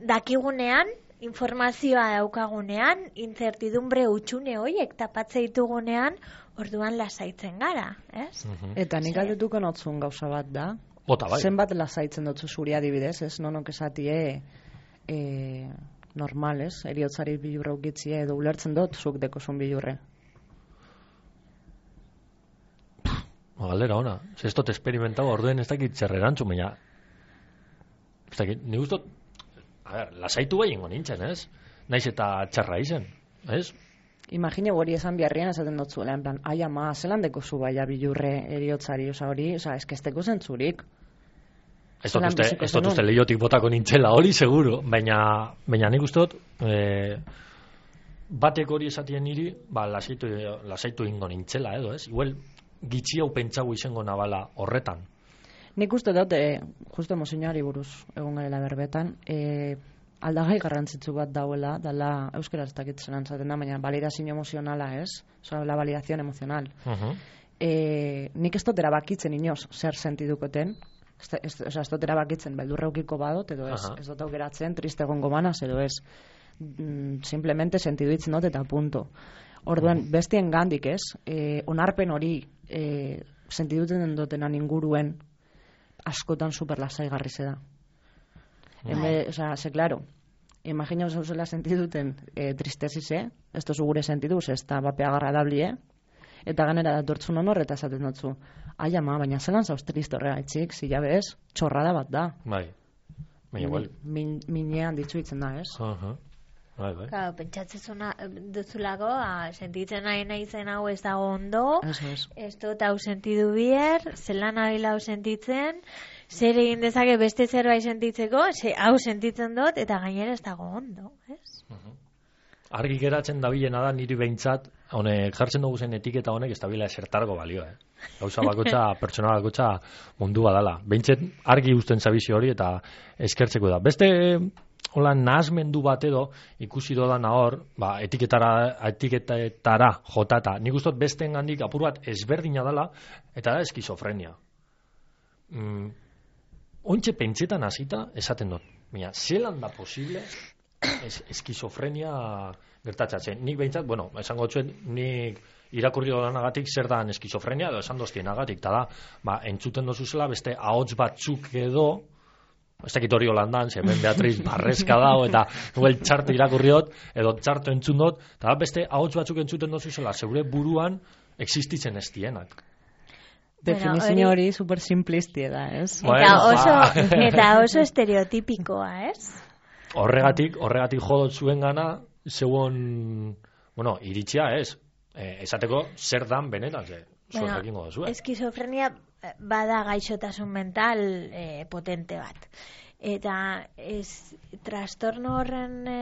dakigunean, informazioa daukagunean, incertidumbre utxune horiek tapatze ditugunean, orduan lasaitzen gara, ez? Uh-huh. Eta nik galdetuko notzun gauza bat da. Bota, bai. Zenbat lasaitzen dutzu zuri adibidez, ez? Nonok esatie e, normal, ez? Eriotzari bilurra ukitzie edo ulertzen dut zuk dekozun bilurre. Galdera ona. Ez dut experimentau orduen ez dakit zer erantzun, baina ez dakit, nik ustot, a ber, lasaitu bai ingo nintzen, ez? naiz eta txarra izen, ez? Imagine hori esan biharrian esaten dut zuela, en plan, ai ama, zelan deko zu baia bilurre eriotzari, oza hori, oza, eskesteko zentzurik. Ez dut uste, ez dut uste lehiotik botako nintzela, hori seguro, baina, baina nik uste dut, e, batek hori esatien niri, ba, lasaitu, lasaitu ingo nintzela, edo, ez? Igual, gitxi hau pentsago izango nabala horretan. Nik uste dut, e, justo emozioari buruz egon garela berbetan, e, aldagai garrantzitsu bat dauela, dala euskera ez dakit zelan zaten da, baina validazio emozionala, ez? Osa, la validación emocional. Uh-huh. e, nik ez dut erabakitzen inoz zer sentidukoten, ez, ez, ez, ez dut erabakitzen beldurreukiko badot, edo ez, uh-huh. ez dut aukeratzen triste egongo banaz, edo ez. Mm, simplemente sentiduitzen dut eta punto. Orduan, uh-huh. bestien gandik ez, e, onarpen hori e, sentiduten dutenan inguruen askotan superlasaigarri zeda. Bai. Osa, ze, claro, imagina oso zela sentiduten e, tristezise, ez tozu gure sentiduz, ez da bapea agradablie, eta ganera datortzun honor, eta esaten dutzu, ai ama, baina zelan zauz triste horrega etxik, zila bez, txorrada bat da. Bai, baina igual. Min, minean ditzuitzen da, ez? Uh-huh. Bai, bai. Claro, pentsatzen duzulako, sentitzen nahi nahi zen hau ez dago ondo, Eso es. ez dut hau sentidu bier, zelan nabil hau sentitzen, zer egin dezake beste zerbait sentitzeko, ze, hau sentitzen dut, eta gainera ez dago ondo, ez? Uh-huh. Argi geratzen dabilena da niri behintzat, honek jartzen dugu zen etiketa honek ez dabila esertargo balio, eh? Gauza bakotxa, pertsona bakotxa mundu badala. Behintzat argi usten zabizio hori eta eskertzeko da. Beste, hola, nahazmendu bat edo, ikusi dodana hor, ba, etiketara, etiketetara jotata. Nik ustot besteen gandik apur bat ezberdina dela, eta da eskizofrenia. Mm, Ointxe pentsetan hasita esaten dut. Baina, zelan da posible es, eskizofrenia gertatzatzen. Nik behintzat, bueno, esango txuen, nik irakurri dodanagatik zer da eskizofrenia, edo esan doztienagatik, eta da, ba, entzuten dozuzela beste ahots batzuk edo, ez dakit hori holandan, hemen Beatriz barrezka dago, eta huel txarto irakurriot, edo txarto entzun dut, eta da, beste ahots batzuk entzuten dozuzela, zeure buruan existitzen ez dienak. Definizio hori super simplistia da, ez? Eta bueno, oso, eta oso estereotipikoa, ez? Horregatik, horregatik jodot zuen gana, zeuon, bueno, iritsia ez, e, esateko zer dan benetan, ze, bueno, egingo duzue. Eskizofrenia bada gaixotasun mental e, potente bat. Eta ez, trastorno horren... E,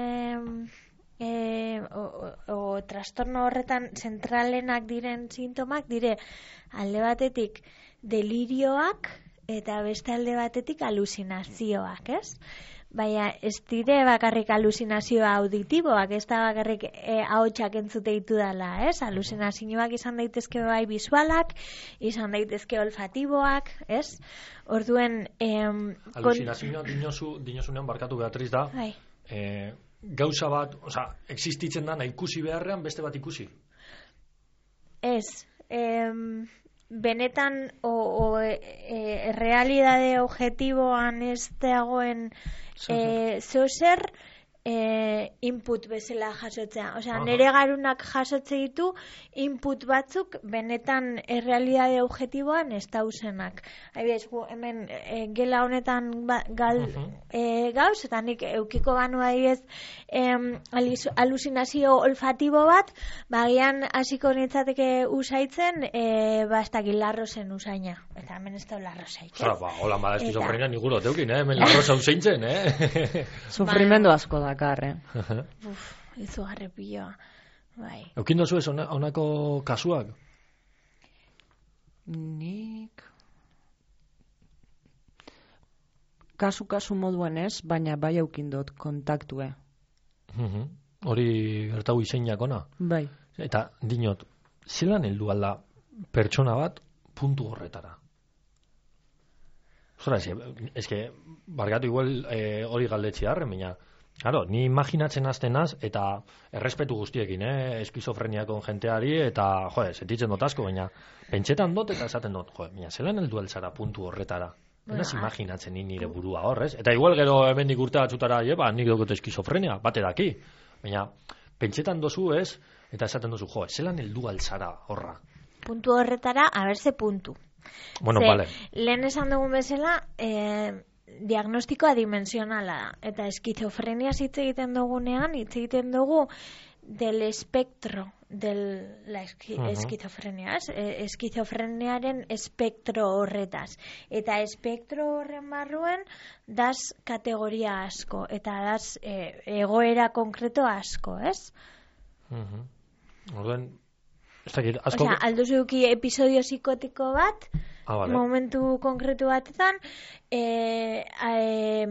E, o, o, o trastorno horretan zentralenak diren sintomak dire alde batetik delirioak eta beste alde batetik alusinazioak, ez? Baina ez dire bakarrik alusinazioa auditiboak, ez da bakarrik e, ahotsak entzute ditu dela, ez? Alusinazioak izan daitezke bai visualak, izan daitezke olfatiboak, ez? Orduen... Em, alusinazioa kon... dinosu, dinosunean barkatu Beatriz da, bai. eh, gauza bat, oza, existitzen dana ikusi beharrean beste bat ikusi? Ez, em, benetan o, o e, e, realidade objetiboan ez dagoen e, zozer e, input bezala jasotzea. Osea, nire garunak jasotze ditu input batzuk benetan errealidade objetiboan ez dauzenak. Haibidez, gu hemen e, gela honetan ba, gal uh-huh. e, gauz, eta nik eukiko banu haibidez e, alusinazio olfatibo bat, bagian hasiko nintzateke usaitzen, e, bastak larrozen usaina. Eta hemen ez da larrozaik. Osa, ba, hola, bada eskizofrenia niguro teukin, eh? Hemen larroza useintzen, eh? Sufrimendu asko da. Karre. Uf, izu garrepilloa. Bai. Eukin dozu ez honako kasuak? Nik... Kasu-kasu moduen ez, baina bai eukin dut kontaktue. Uh-huh. Hori gertau izeinak ona? Bai. Eta dinot, zelan heldu alda pertsona bat puntu horretara? Zora, ez que, bargatu igual eh, hori galdetzi harren, baina... Claro, ni imaginatzen aztenaz eta errespetu guztiekin, eh, eskizofreniakon jenteari eta, joe, sentitzen dut asko, baina pentsetan dut eta esaten dut, joe, baina zelan heldu altzara puntu horretara? Baina bueno, imaginatzen ni nire burua horrez. Eta igual gero hemendik urte batzutara, ba, nik dugut eskizofrenia, bate daki. Baina pentsetan dozu ez, eta esaten dozu, joe, zelan heldu altzara horra? Puntu horretara, aberze puntu. Bueno, Ze, vale. Lehen esan dugun bezala, eh, diagnostikoa dimensionala da. Eta eskizofrenia hitz egiten dugunean, hitz egiten dugu del espectro de la esqui, uh-huh. esquizofrenia, es? Esquizofreniaren espektro horretaz. Eta espektro horren barruen das kategoria asko, eta das e, egoera konkreto asko, ez? Uh-huh. Orden, ez dakit, asko... Osea, alduzuki episodio psikotiko bat, ah, vale. Momentu konkretu batetan, e, e,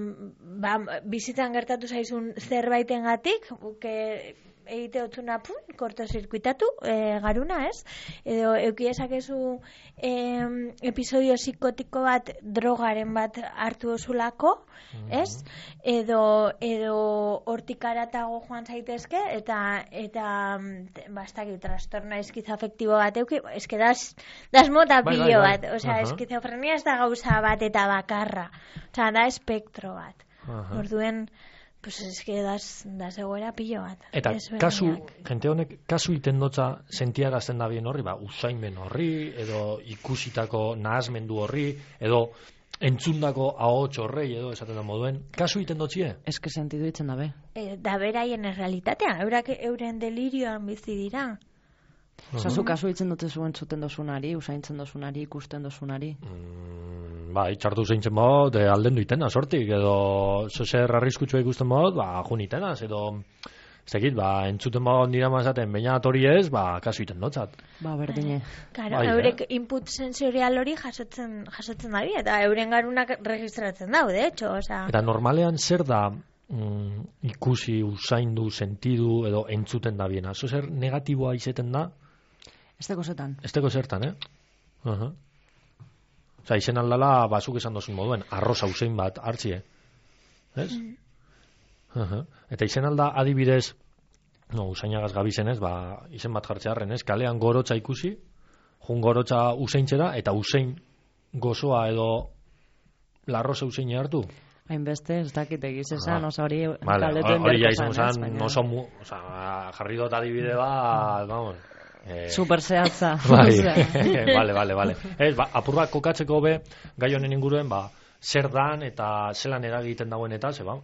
ba, bizitzan gertatu zaizun zerbaitengatik, buke... egite otzuna pun, kortozirkuitatu, e, garuna, ez? Edo eukiezakezu e, episodio psikotiko bat drogaren bat hartu osulako, mm-hmm. ez? Edo edo hortik aratago joan zaitezke, eta eta bastaki trastorno eskizafektibo bat euki, eske das, das mota bai, pilo bai, bai. bat, osea, uh-huh. eskizofrenia ez da gauza bat eta bakarra, osea, da espektro bat. Uh-huh. Orduen, pues es que das, das egoera pilo bat. Eta kasu, jente honek, kasu iten dotza sentiarazten da bien horri, ba, usaimen horri, edo ikusitako nahazmendu horri, edo entzundako ahots horrei, edo esaten da moduen, kasu iten dotzie? Ez que sentidu itzen dabe. E, da beraien errealitatea, eurak euren delirioan bizi dira. Osa, zu kasu itzen dute zuen zuten dozunari, usaintzen dozunari, ikusten dozunari? Mm, ba, itxartu zeintzen bod, e, alden duitena, sortik, edo zozer arriskutsua ikusten bod, ba, jun itenaz, edo, ez dakit, ba, entzuten bod nira mazaten, baina hori ez, ba, kasu iten dotzat. Ba, berdine. Claro, bai, eurek eh? input sensorial hori jasotzen, jasotzen dabi, eta euren garunak registratzen dau, de hecho, osa... Eta normalean zer da mm, ikusi, usaindu, sentidu, edo entzuten da biena? Zozer negatiboa izeten da? Esteko zetan. Esteko zertan, eh? Uh-huh. Osa, izen aldala, basuk esan dozun moduen, arroz hausein bat hartzie. Ez? Mm. Uh-huh. Eta izen alda adibidez, no, usainagaz gabizen ez, ba, izen bat jartzearen, ez? Kalean gorotza ikusi, jun gorotza useintzera, eta usein gozoa edo larroz hausein hartu. Hainbeste, ez dakit egiz esan, osa hori vale, hori ja izan esan, no son mu, osa, jarri dut adibide bat, vamos... Eh, super zehatza. Bai, vale, vale, vale. Ez, ba, apur bat kokatzeko be, gai honen inguruen, ba, zer dan eta zelan eragiten dagoen eta, ze ba,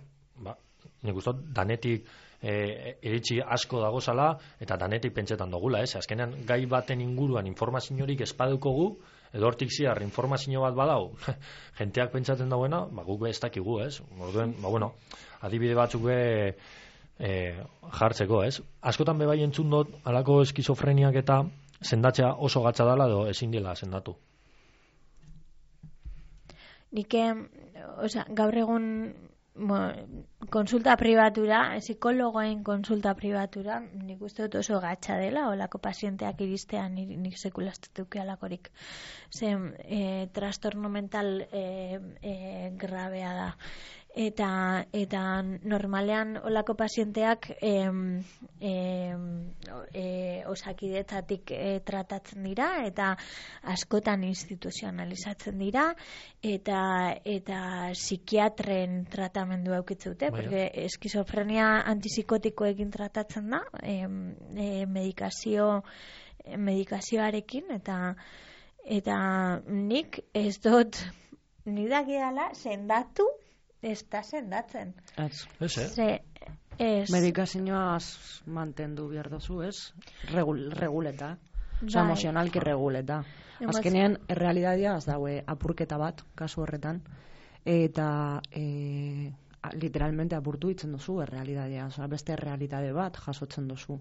ba nik ustot, danetik e, iritsi asko dagozala, eta danetik pentsetan dugula, ez? Azkenean, gai baten inguruan informaziorik espadukogu, edo hortik ziar informazio bat badau, jenteak pentsatzen dagoena, ba, guk be ez dakigu, ez? Orduen, ba, bueno, adibide batzuk be, E, jartzeko, ez? Askotan bebai entzun dut alako eskizofreniak eta sendatzea oso gatza dela edo ezin dela sendatu. Nik, osea, gaur egun bueno, konsulta pribatura, psikologoen konsulta pribatura, nik uste dut oso gatza dela, olako pazienteak iristean nik, nik sekulastetuke alakorik. Zen, e, trastorno mental e, e, grabea da. Eta, eta normalean olako pazienteak em, em, e, osakidetzatik e, tratatzen dira eta askotan instituzionalizatzen dira eta eta psikiatren tratamendu aukitzen dute, porque eskizofrenia antipsikotikoekin tratatzen da, em, e, medikazio medikazioarekin eta eta nik ez dut nidakidala sendatu ez da sendatzen. Ez. Ez, eh? Ze, ez. Medikazioaz mantendu behar dozu, ez? Regul, reguleta. Osa, Bai. emozionalki reguleta. Azkenean, errealitatea az daue apurketa bat, kasu horretan, eta e, literalmente apurtu itzen duzu errealitatea. Osa, beste errealitate bat jasotzen duzu.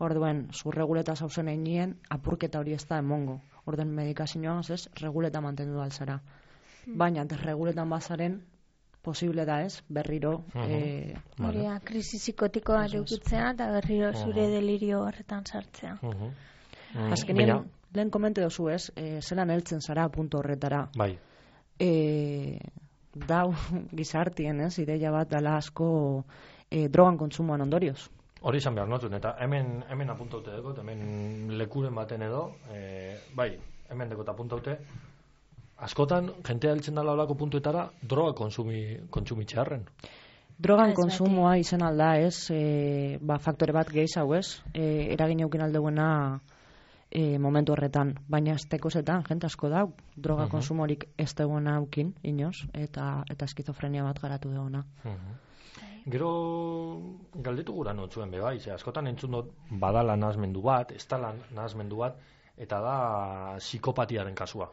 Orduen, zu reguleta zauzen einien, apurketa hori ez da emongo. Orduen, medikazioaz ez, reguleta mantendu alzara. Hmm. Baina, desreguletan bazaren, posible da ez, berriro... Uh-huh. eh, vale. Krisi psikotikoa edukitzea eta berriro zure uh-huh. delirio horretan sartzea. Uh-huh. Uh-huh. Azkenean, Bina. Lehen komente dozu ez, eh, zelan heltzen zara puntu horretara. Bai. Eh, dau gizartien ez, ideia bat dala asko eh, drogan kontsumoan ondorioz. Hori izan behar notun, eta hemen, hemen apuntaute dekot, hemen lekuren baten edo, eh, bai, hemen dekot apuntaute, askotan, jentea heltzen dala olako puntuetara, droga konsumi, kontsumitxearren. Drogan konsumoa izan alda ez, e, ba, faktore bat gehiz hau ez, e, eragin eukin aldeuena e, momentu horretan, baina estekozetan, jente asko da, droga Uh-huh. konsumorik ez dagoena aukin, inoz, eta eta eskizofrenia bat garatu dagoena. Mhm. Gero galdetu gura notzuen be bai, ze askotan entzun dut badala nahasmendu bat, ez dala nahasmendu bat, eta da psikopatiaren kasua.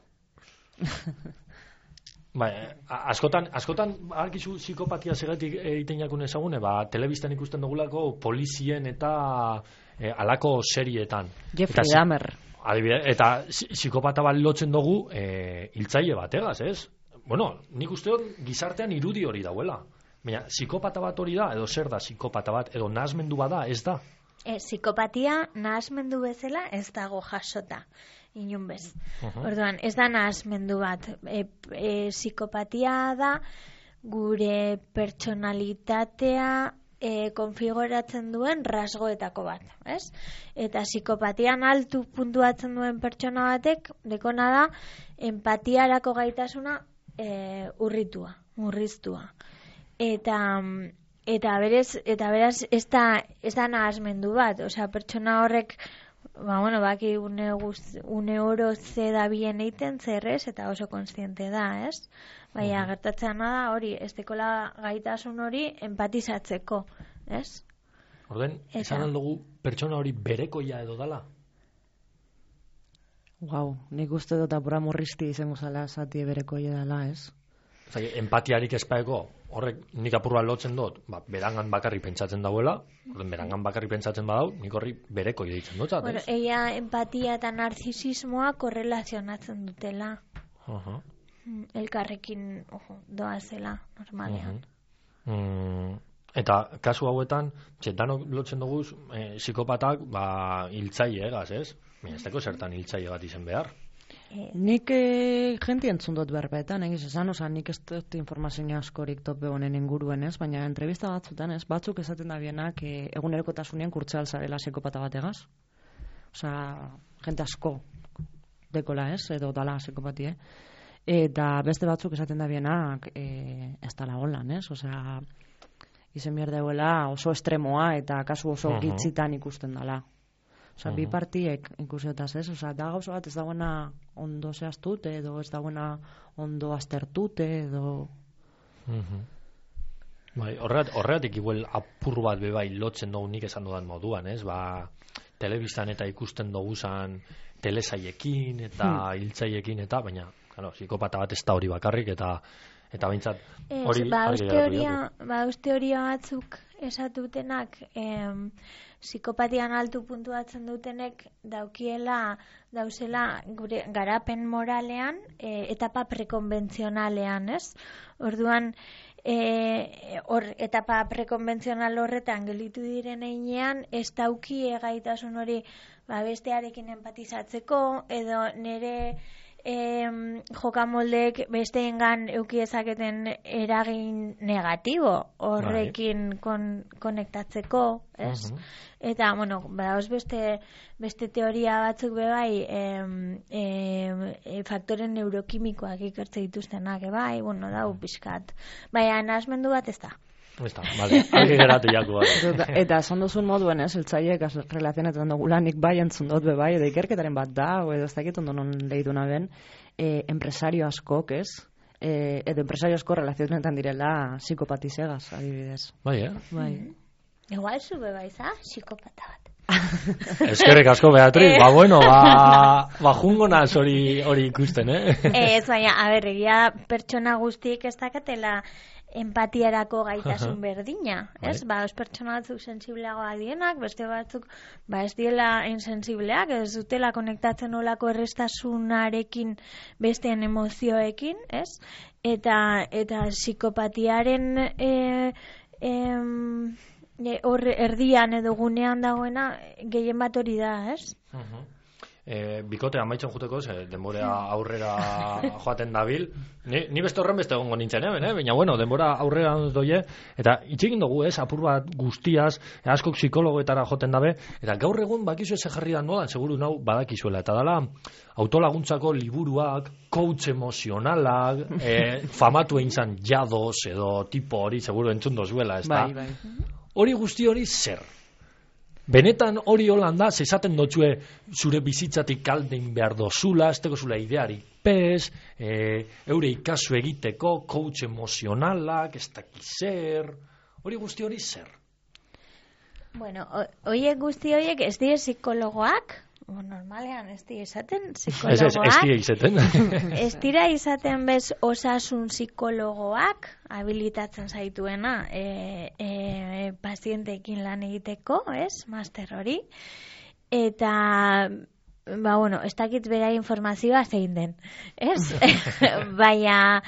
Bai, a- askotan, askotan argizu psikopatia segatik egiten jakun ezagune, ba, telebistan ikusten dugulako polizien eta e, alako serietan. Jeffrey Eta zi- Dahmer. Adibide, eta psi- psikopata bat lotzen dugu e, hiltzaile bategaz, ez? Bueno, nik uste dut gizartean irudi hori dauela. Baina, psikopata bat hori da, edo zer da psikopata bat, edo nahasmendu bada, ez da. E, psikopatia nahasmendu bezala ez dago jasota, inun bez. Uh-huh. Orduan, ez da nahasmendu bat. E, e, psikopatia da gure pertsonalitatea e, konfiguratzen duen rasgoetako bat, ez? Eta psikopatian altu puntuatzen duen pertsona batek, dekona da, empatiarako gaitasuna e, urritua, murriztua. Eta eta berez eta beraz ez da ez da nahasmendu bat, osea pertsona horrek ba bueno, baki une guz, une oro ze da bien egiten zerrez eta oso kontziente da, ez? Baina Mhm. gertatzen da hori, ez dekola gaitasun hori empatizatzeko, ez? Orden, Eta- esan aldugu pertsona hori berekoia edo dala? Wow, nik uste dut apura murrizti izango zala zati bereko dela, ez? Osea, empatiarik espaeko, horrek nik apur bat lotzen dut, ba, berangan bakarrik pentsatzen dauela, orden, berangan bakarrik pentsatzen badau, nik horri bereko deitzen dut, Bueno, eia empatia eta narzisismoa korrelazionatzen dutela. uh-huh. Mm, Elkarrekin, ojo, doazela, normalean. Mm, eta kasu hauetan, txe, danok lotzen dugu e, psikopatak, ba, hiltzaile egaz, ez? Baina ez deko zertan hiltzaile bat izen behar. Eh, Nik e, jenti entzun dut berbetan, egiz esan, oza, nik ez dut informazio askorik tope honen inguruen, ez? Baina entrevista batzutan, ez? Batzuk esaten da bienak e, egunerokotasunean kurtzeal zarela psikopata bategaz. Oza, jente asko dekola, ez? Edo dala psikopatie. Eta beste batzuk esaten da bienak e, ez dala holan, ez? Oza, izen behar dauela oso estremoa eta kasu oso Aha. gitzitan ikusten dala. Osa, bi Mhm. partiek ikusiotaz, ez? Osa, da gauza bat ez dagoena ondo zehaztute, edo ez dagoena ondo aztertute, edo... Mhm. Bai, horregat, horregatik igual apur bat bebai lotzen dugu nik esan dudan moduan, ez? Ba, telebistan eta ikusten dugu zan telesaiekin eta hiltzaiekin eta, baina, claro, psikopata bat ez da hori bakarrik eta eta behintzat Ez, hori ba, argi uste geratu horia, diagu. ba, uste horia batzuk esatutenak em, psikopatian altu puntuatzen dutenek daukiela, dauzela gure garapen moralean e, etapa prekonbentzionalean, ez? Orduan, e, hor, etapa prekonbentzional horretan gelitu diren einean, ez dauki gaitasun hori ba, bestearekin empatizatzeko, edo nire em, jokamoldeek besteengan euki ezaketen eragin negatibo horrekin kon, konektatzeko, ez? Mhm. Eta, bueno, badauz beste, beste teoria batzuk bebai em, em, e, faktore neurokimikoak ikertze dituztenak, e, bai, bueno, dau pixkat. Baina, nahasmendu bat ez da. Ez da, vale, argi geratu jaku. Eta, eta esan duzun moduen, ez? Eltzaiek relazionetan dugula, nik bai entzun dut be bai, edo ikerketaren bat da, o edo ez dakit ondo non lehiduna ben, e, empresario askok, ez? E, edo empresario asko relazionetan direla psikopatizegaz, adibidez. Bai, eh? Bai. Igual zube baiza, psikopata bat. Eskerrik asko, Beatriz, ba, bueno, ba, ba jungo naz hori hori ikusten, eh? Ez, baina, a ber, egia pertsona guztiek ez dakatela empatiarako gaitasun berdina, ez? Ba, os pertsona batzuk sensibleagoak dienak, beste batzuk ba ez diela insensibleak, ez dutela konektatzen olako errestasunarekin besteen emozioekin, ez? Eta eta psikopatiaren e, em, e, hor erdian edo gunean dagoena gehien bat hori da, ez? Uh-huh. E, bikote amaitzen juteko, ze denbora aurrera joaten dabil. Ni, ni beste horren beste egongo nintzen, eh? eh? Baina, bueno, denbora aurrera doie, eta itxegin dugu, ez, apur bat guztiaz, askok psikologoetara joten dabe, eta gaur egun bakizu ez jarri da nodan, seguru nau badakizuela, eta dala autolaguntzako liburuak, coach emozionalak, e, famatu egin zan jados edo tipo hori, seguru entzun dozuela, ez da? Bai, bai. Hori guzti hori zer? benetan hori holanda, zezaten dotxue zure bizitzatik kaldein behar dozula, ez teko zula ideari pez, e, eure ikasu egiteko, coach emozionalak, ez dakizer, hori guzti hori zer? Bueno, horiek guzti horiek ez dire psikologoak, normalean ez dira izaten psikologoak. Ez, ez, ez dira izaten. Ez dira izaten bez osasun psikologoak habilitatzen zaituena e, e, pazienteekin lan egiteko, ez, master hori. Eta, ba, bueno, ez dakit bera informazioa zein den, ez? Baina,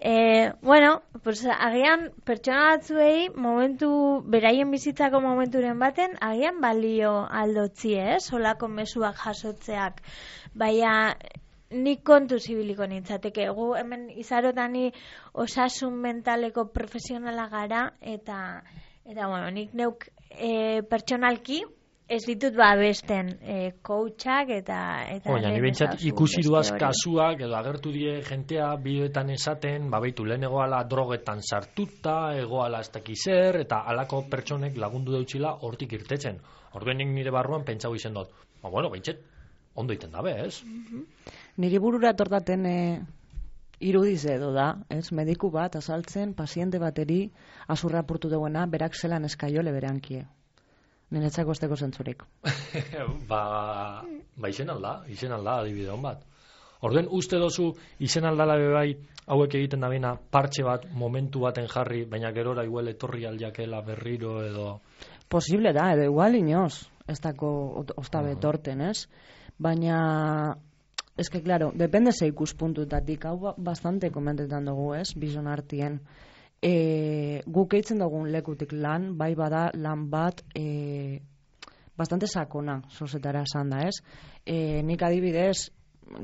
e, bueno, pues, agian pertsona batzuei momentu, beraien bizitzako momenturen baten, agian balio aldotzi, ez? Solako mezuak jasotzeak. Baina, nik kontu zibiliko nintzateke. Gu hemen izarotani osasun mentaleko profesionala gara, eta, eta bueno, nik neuk e, pertsonalki, ez ditut ba besten e, coachak eta... eta Oina, ni bentsat ikusi duaz kasuak, edo agertu die jentea bideoetan esaten, babeitu lehen egoala drogetan sartuta, egoala ez dakizer, eta alako pertsonek lagundu deutxila hortik irtetzen. Orduen nik nire barruan pentsau izen dut. Ba, bueno, bentsat, ondo iten dabe, ez? Mm-hmm. Niri burura tortaten e, irudiz edo da, ez? Mediku bat azaltzen, paziente bateri azurra apurtu duena, berak zelan eskaiole berankie. Niretzako esteko zentzurik. ba, ba izen alda, izen alda adibide hon bat. Orduen, uste dozu izen aldala bebai hauek egiten da bina partxe bat momentu baten jarri, baina gerora igual etorri aldiakela berriro edo... Posible da, edo igual inoz, ez dako ostabe torten, ez? Baina, ez que, claro, depende ze ikuspuntutatik, hau bastante komentetan dugu, ez? Bizon artien. E, guk eitzen dugun lekutik lan, bai bada lan bat e, bastante sakona, sozetara esan da, ez? E, nik adibidez,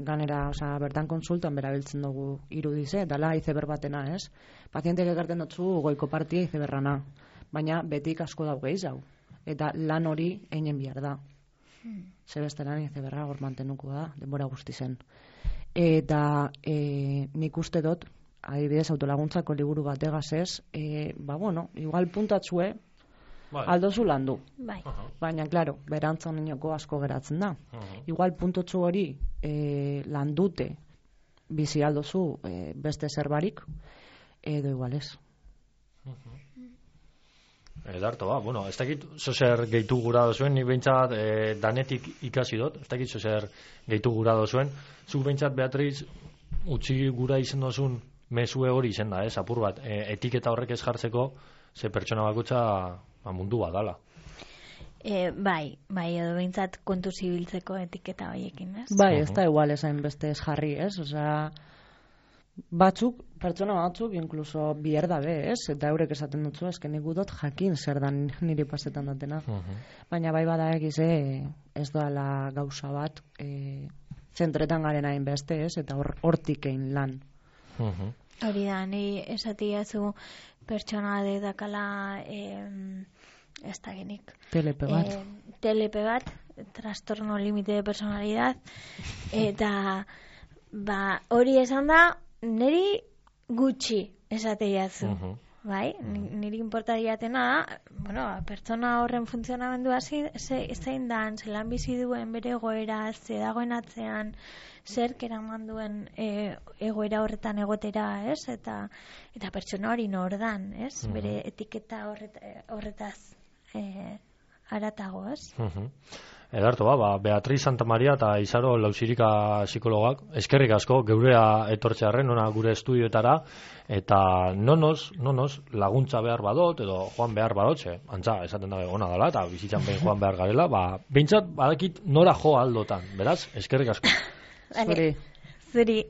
ganera, oza, bertan konsultan berabiltzen dugu irudize, dala izeber batena, ez? Pazientek ekarten dutzu goiko partia izeberrana, baina betik asko dau gehiago, eta lan hori einen bihar da. Hmm. Zebesteran izeberra hor mantenuko da, denbora guzti zen. Eta e, nik uste dut, adibidez, autolaguntzako liburu bategaz ez, e, ba, bueno, igual puntatzue bai. Aldozu landu. Bai. Uh-huh. Baina, klaro, berantzan inoko asko geratzen da. Uh-huh. Igual puntotzu hori e, landute bizi aldozu e, beste zerbarik, edo igual ez. Uh-huh. Edarto, ba, bueno, ez dakit zozer gehitu gura dozuen, nik behintzat e, danetik ikasi dut, ez dakit zozer gehitu gura dozuen, zuk behintzat, Beatriz, utzi gura izen dozun mesue hori izen da, ez, apur bat, e, etiketa horrek ez jartzeko, ze pertsona bakutza ba, mundu bat dala. E, bai, bai, edo behintzat kontu zibiltzeko etiketa horiekin, ez? Bai, ez da igual esain beste ez jarri, ez? Osea, batzuk, pertsona batzuk, inkluso bierda be, ez? Eta eurek esaten dutzu, ezken nik dut jakin zer dan niri pasetan datena. Uh-huh. Baina bai bada egize, ez doala gauza bat, e, zentretan garen hain beste, ez? Eta hortik egin lan. Uh-huh. Hori da, ni esatiazu pertsona de dakala eh, ez da genik telepe bat eh, telepe bat, trastorno límite de personalidad, eta ba, hori esan da niri gutxi esateiazu. Uh-huh. Bai, niri importa diatena da, bueno, pertsona horren funtzionamendua zein dan, zelan bizi duen bere egoera, ze dagoen atzean, zer keraman duen e, egoera horretan egotera, ez? Eta, eta pertsona hori nordan, ez? Uh-huh. Bere etiketa horret, horretaz e, aratago, ez? Uh-huh. Edarto, ba, ba, Beatriz Santamaria eta Izaro Lausirika psikologak, eskerrik asko, geurea etortzearren, nona gure estudioetara, eta nonoz, nonoz, laguntza behar badot, edo joan behar badotxe, antza, esaten dabe ona dela, eta bizitzan behin joan behar garela, ba, behintzat, badakit nora jo aldotan, beraz, eskerrik asko. Zuri. Zuri.